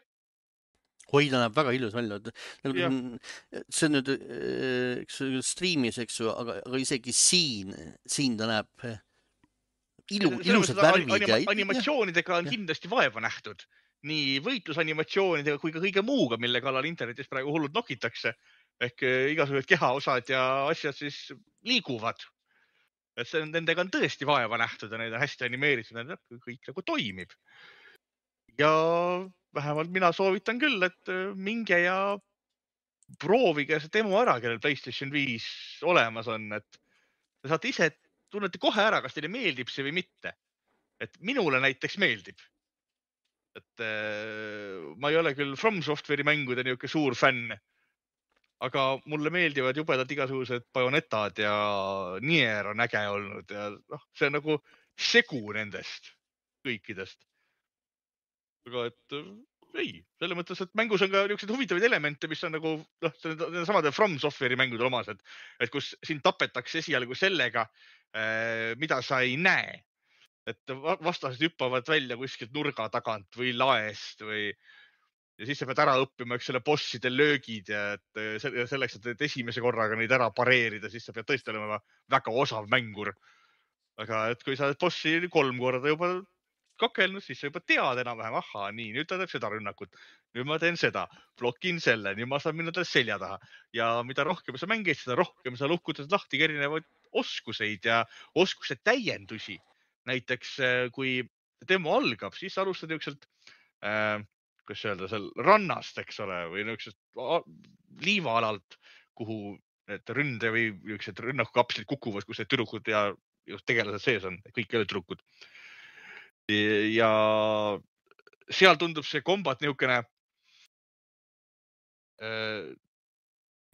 Oi, ta näeb väga ilus välja. See on nüüd streamis, eks ju, aga isegi siin ta näeb ilusad värvid. Animatsioonidega on kindlasti vaeva nähtud. Nii võitlusanimatsioonidega kui ka kõige muuga, mille kallal internetis praegu hullud nokitakse. Ehk igasugused kehaosad ja asjad siis liiguvad. Et nendega on tõesti vaeva nähtud ja need on hästi animeeritud, kõik nagu toimib. Ja vähemalt mina soovitan küll, et minge ja proovige see demo ära, kellel PlayStation 5 olemas on. Et te saate ise, tunnete kohe ära, kas teile meeldib see või mitte. Et minule näiteks meeldib. et ma ei ole küll From Software'i mängude niisugune suur fänn, aga mulle meeldivad jubedad igasugused Bayonetad ja Nier on äge olnud ja see on nagu segu nendest kõikidest. Aga et ei, selle mõttes, et mängus on ka niisuguseid huvitavaid elemente, mis on nagu samade From Software'i mängudel omased, et kus sind tapetakse esialgu sellega, mida sa ei näe. Et vastased hüppavad välja kuskilt nurga tagant või laest ja siis sa pead ära õppima selle bosside löögid ja et selleks, et esimese korraga neid ära pareerida, siis sa pead tõesti olema väga osav mängur. Aga et kui sa oled bossi 3 korda juba kakelnud, siis sa juba tead enam-vähem, ahhaa, nii, nüüd ta teeb seda rünnakut. Nüüd ma teen seda, blokin selle, nüüd ma saan minna talle selja taha. Ja mida rohkem sa mängid, seda rohkem sa luhkutad lahti erinevaid oskuseid ja oskuste täiendusi. Näiteks kui demo algab, siis alustad niisugselt, kuidas öelda, seal rannast, eks ole, või niisugusest liivaalalt, kuhu need ründe või niisugused rünnakukapslid kukuvad, kus need tüdrukud ja tegelased sees on, kõik ei ole tüdrukud. Ja seal tundub see kombat niisugune,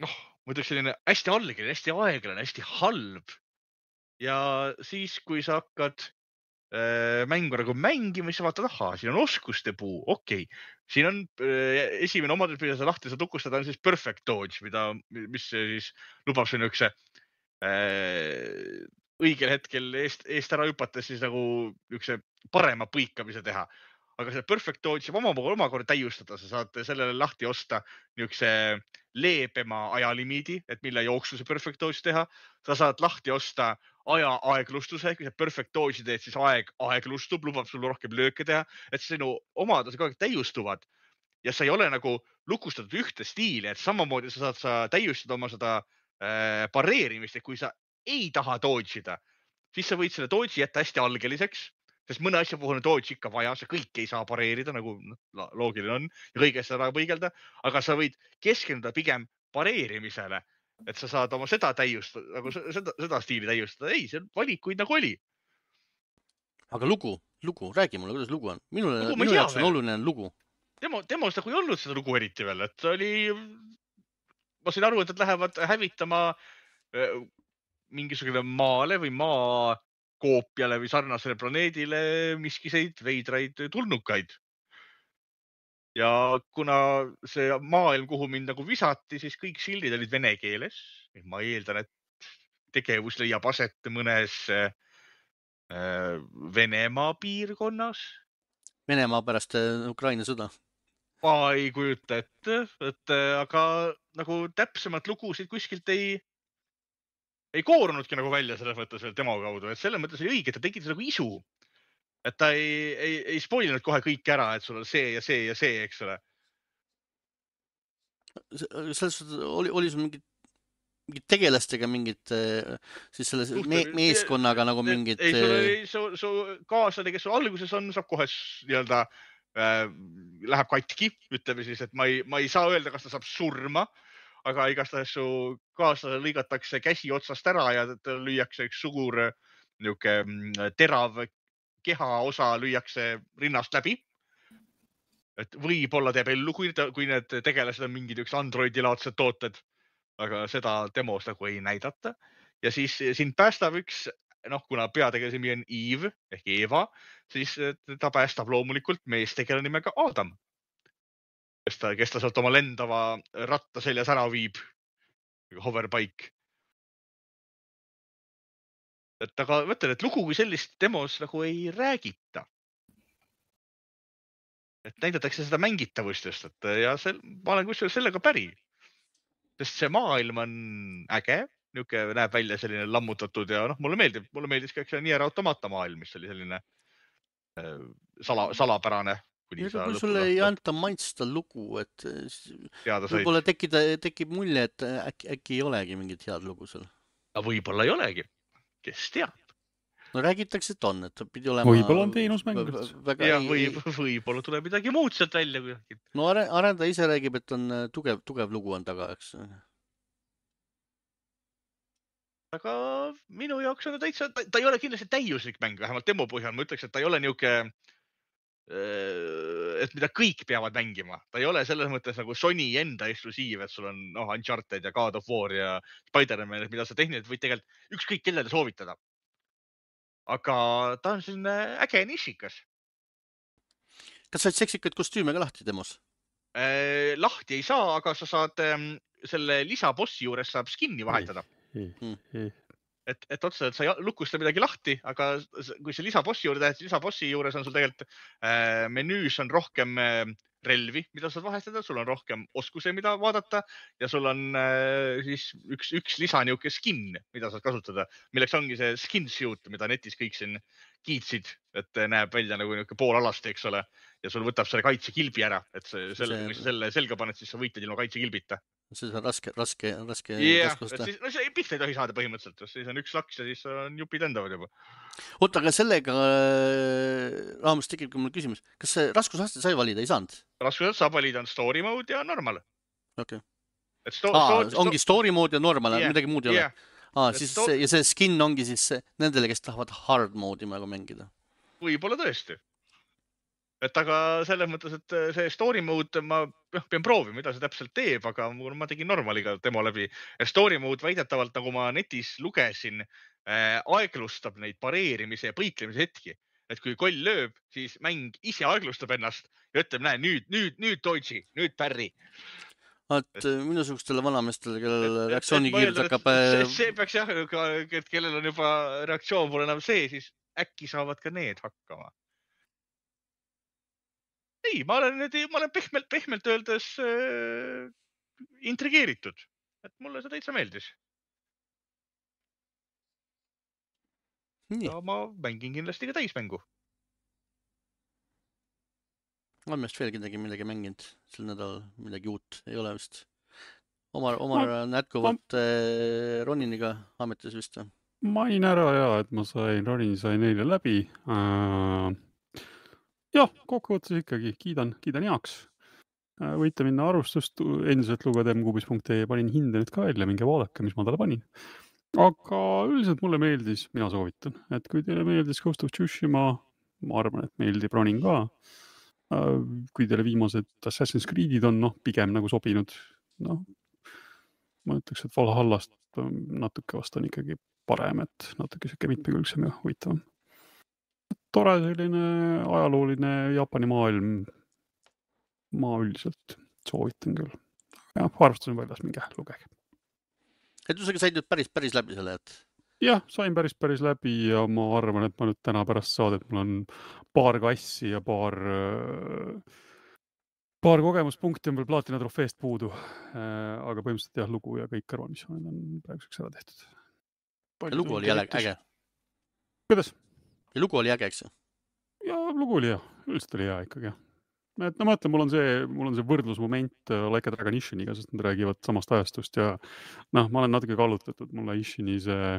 ma ütleks selline hästi algeline, hästi aeglane, hästi halb. Ja siis, kui sa hakkad mängu nagu mängima, siis vaatad, ahhaa, siin on oskuste puu, okei. Siin on esimene omadus, mida sa lahti saad tukustada, on siis perfect dodge, mis siis lubab see niisuguse õigel hetkel eest ära hüpates siis nagu niisuguse parema põikamise teha. Aga see perfect dodge saab omakorda täiustada, sa saad sellele lahti osta niisuguse leebema ajalimiidi, et mille jooksul see perfect dodge teha. Sa saad lahti osta aja aeglustuse, kui sa perfect dodge'i teed, siis aeg aeglustub, lubab sul rohkem lööke teha, et sinu omadused kogu aeg täiustuvad ja sa ei ole nagu lukustatud ühte stiili, et samamoodi sa saad täiustada oma seda pareerimist, et kui sa ei taha dodge ida, siis sa võid selle dodge'i jätta hästi algeliseks, sest mõne asja puhul on dodge ikka vaja, sa kõike ei saa pareerida, nagu loogiline on ja kõigest ära põigelda, aga sa võid keskenduda pigem pareerimisele, et sa saad oma seda täiustada, nagu seda stiili täiustada. Ei, see valikuid nagu oli. Aga lugu, räägi mulle, kuidas lugu on. Minu jaoks on oluline lugu. Demos nagu ei olnud seda lugu eriti veel, et oli, ma sain aru, et nad lähevad hävitama mingisugune maale või maa koopiale või sarnasele planeedile miskiseid veidraid tulnukaid. Ja kuna see maailm, kuhu mind nagu visati, siis kõik sildid olid vene keeles. Ma eeldan, et tegevus leiab aset mõnes Venemaa piirkonnas. Venemaa pärast Ukraina sõda. Ma ei kujuta ette, aga nagu täpsemalt lugusid kuskilt ei koorunudki nagu välja selles mõttes veel demo kaudu, et selles mõttes oli õige, et ta tegi nagu isu. Et ta ei spoilinud kohe kõik ära, et sul on see ja see ja see, eks ole. Selles oli sul mingid tegelastega mingid, siis selle meeskonnaga nagu mingid... Ei, sul oli su kaaslane, kes sul alguses on, saab kohe nii-öelda läheb katki, ütleme siis, et ma ei saa öelda, kas ta saab surma, aga igastahes su kaaslane lõigatakse käsi otsast ära ja lüüakse üks suur niisugune terav kehaosa lüüakse rinnast läbi. Et võib-olla teeb ellu, kui need tegelased on mingid üks androidilaadsed tooted, aga seda demos nagu ei näidata. Ja siis sind päästab üks, kuna peategelase nimi on Eve ehk Eva, siis ta päästab loomulikult meestegelane nimega Adam, kes ta sealt oma lendava ratta seljas ära viib, hoverpaik. Aga mõtlen, et lugu kui sellist demos nagu ei räägita. Et näidatakse seda mängitavust just, ja ma olen kusjuures sellega päri. Sest see maailm on äge, niisugune näeb välja selline lammutatud ja mulle meeldis ka Nier Automata maailm, mis oli selline salapärane. Kui sulle ei anta maitsta lugu, et võib-olla tekib mulje, et äkki ei olegi mingit head lugu seal. Võib-olla ei olegi, kes teab. No räägitakse, et on, et pidi olema... Võib-olla on teenusmäng. Ja võib-olla tuleb midagi muud sealt välja. No arendaja ise räägib, et on tugev lugu on taga, eks. Aga minu jaoks on täitsa, ta ei ole kindlasti täiuslik mäng, vähemalt demo põhjal. Ma ütleks, et ta ei ole niisugune, et mida kõik peavad mängima. Ta ei ole selles mõttes nagu Sony enda eksklusiiv, et sul on Uncharted ja God of War ja Spider-Man, mida sa tehniliselt võid tegelikult ükskõik kellele soovitada. Aga ta on selline äge nišikas. Kas said seksikaid kostüüme ka lahti demos? Lahti ei saa, aga sa saad selle lisabossi juures saab skinni vahetada. Et otseselt sa ei lukusta midagi lahti, aga kui see lisabossi juurde tehed, lisabossi juures on sul tegelikult menüüs on rohkem relvi, mida saad vahetada, sul on rohkem oskuse, mida vaadata ja sul on siis üks lisaniuke skin, mida saad kasutada, milleks ongi see skin suit, mida netis kõik siin kiitsid, et näeb välja nagu niuke poolalasti, eks ole, ja sul võtab selle kaitsekilbi ära, et kui sa selle selga paned, siis sa võitled ilma kaitsekilbita. See on raske raskusta. No see pihta ei tohi saada põhimõtteliselt, siis on üks laks ja siis on jupid endavad juba. Oota, aga sellega raames tekib ka mul küsimus. Kas see raskusaste sai valida, ei saanud? Raskusaste saab valida on story mode ja normal. Okay. Ongi story mode ja normal, midagi muud ei ole. Ja see skin ongi siis nendele, kes tahavad hard mode'i mängida. Võib-olla tõesti. Et aga selles mõttes, et see story mode ma pean proovima, mida see täpselt teeb, aga ma tegin normaliga demo läbi. Story mode väidetavalt, nagu ma netis lugesin, aeglustab neid pareerimise ja põiklemise hetki. Et kui koll lööb, siis mäng ise aeglustab ennast ja ütleb, näe, nüüd dodge'i, nüüd pärri. Et minusugustele vanamestele, kellel reaktsioonikiirus hakkab... See peaks jah, et kellel on juba reaktsioon pole enam see, siis äkki saavad ka need hakkama. Ei, ma olen pehmelt öeldes intrigeeritud, et mulle see täitsa meeldis. Ja ma mängin kindlasti ka täismängu. On meest veel midagi mänginud sel nädal, midagi uut ei ole vist. Omar on jätkuvalt Roniniga ametis vist. Main ära et ma Ronini sain eile läbi. Jah, kokkuvõttes ikkagi kiidan heaks. Võite minna arvustust endiselt lugeda mkubis.ee, panin hinde nüüd ka välja, minge vaadake, mis ma talle panin. Aga üldiselt mulle meeldis, mina soovitan, et kui teile meeldis Ghost of Tsushima, ma arvan, et meeldib Ronin ka. Kui teile viimased Assassin's Creed'id on pigem nagu sobinud, ma ütleks, et Valhallast natuke vast on ikkagi parem, et natuke siuke mitmekülgsem ja huvitavam. Tore selline ajalooline Jaapani maailm, ma üldiselt soovitan küll. Ja arvustasin väljas minge lugege. Et sa said nüüd päris läbi selle, et? Jah, sain päris läbi ja ma arvan, et ma nüüd täna pärast saadet, mul on paar kassi ja paar kogemuspunkti on veel plaatina trofeest puudu. Aga põhimõtteliselt jah, lugu ja kõik kõrvalmissioonid on praeguseks ära tehtud. Ja lugu oli äge. Kuidas? Ja lugu oli äge, eks? Ja lugu oli üldiselt oli hea ikkagi. Et ma mõtlen, mul on see võrdlusmoment Like a Dragon Ishiniga, sest nad räägivad samast ajastust ja ma olen natuke kallutatud, mulle Ishini see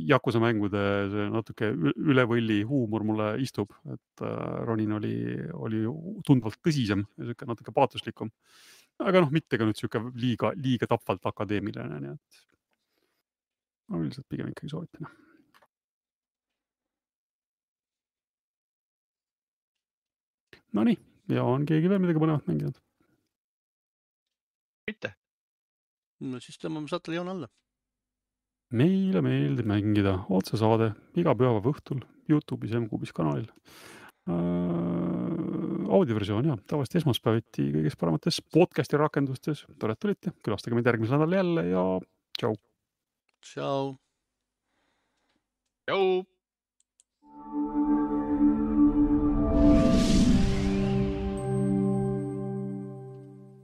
Yakuza mängude see natuke üle võlli huumor mulle istub, et Ronin oli tundvalt tõsisem ja siuke natuke paatuslikum. Aga mitte ka nüüd siuke liiga tapvalt akadeemiline, nii et ma üldiselt pigem ikkagi soovitan. No nii, ja on keegi veel midagi põnevat mänginud? Mitte. No siis tõmbame saatele joon alla. Meile meeldib mängida otsesaade iga pühapäeva õhtul YouTube'is ja mkubis kanalil. Audioversioon tavaliselt esmaspäeviti kõigis paremates podcasti rakendustes. Tore, et tulite, külastage meid järgmisel nädal jälle ja tšau. Tšau. Tšau.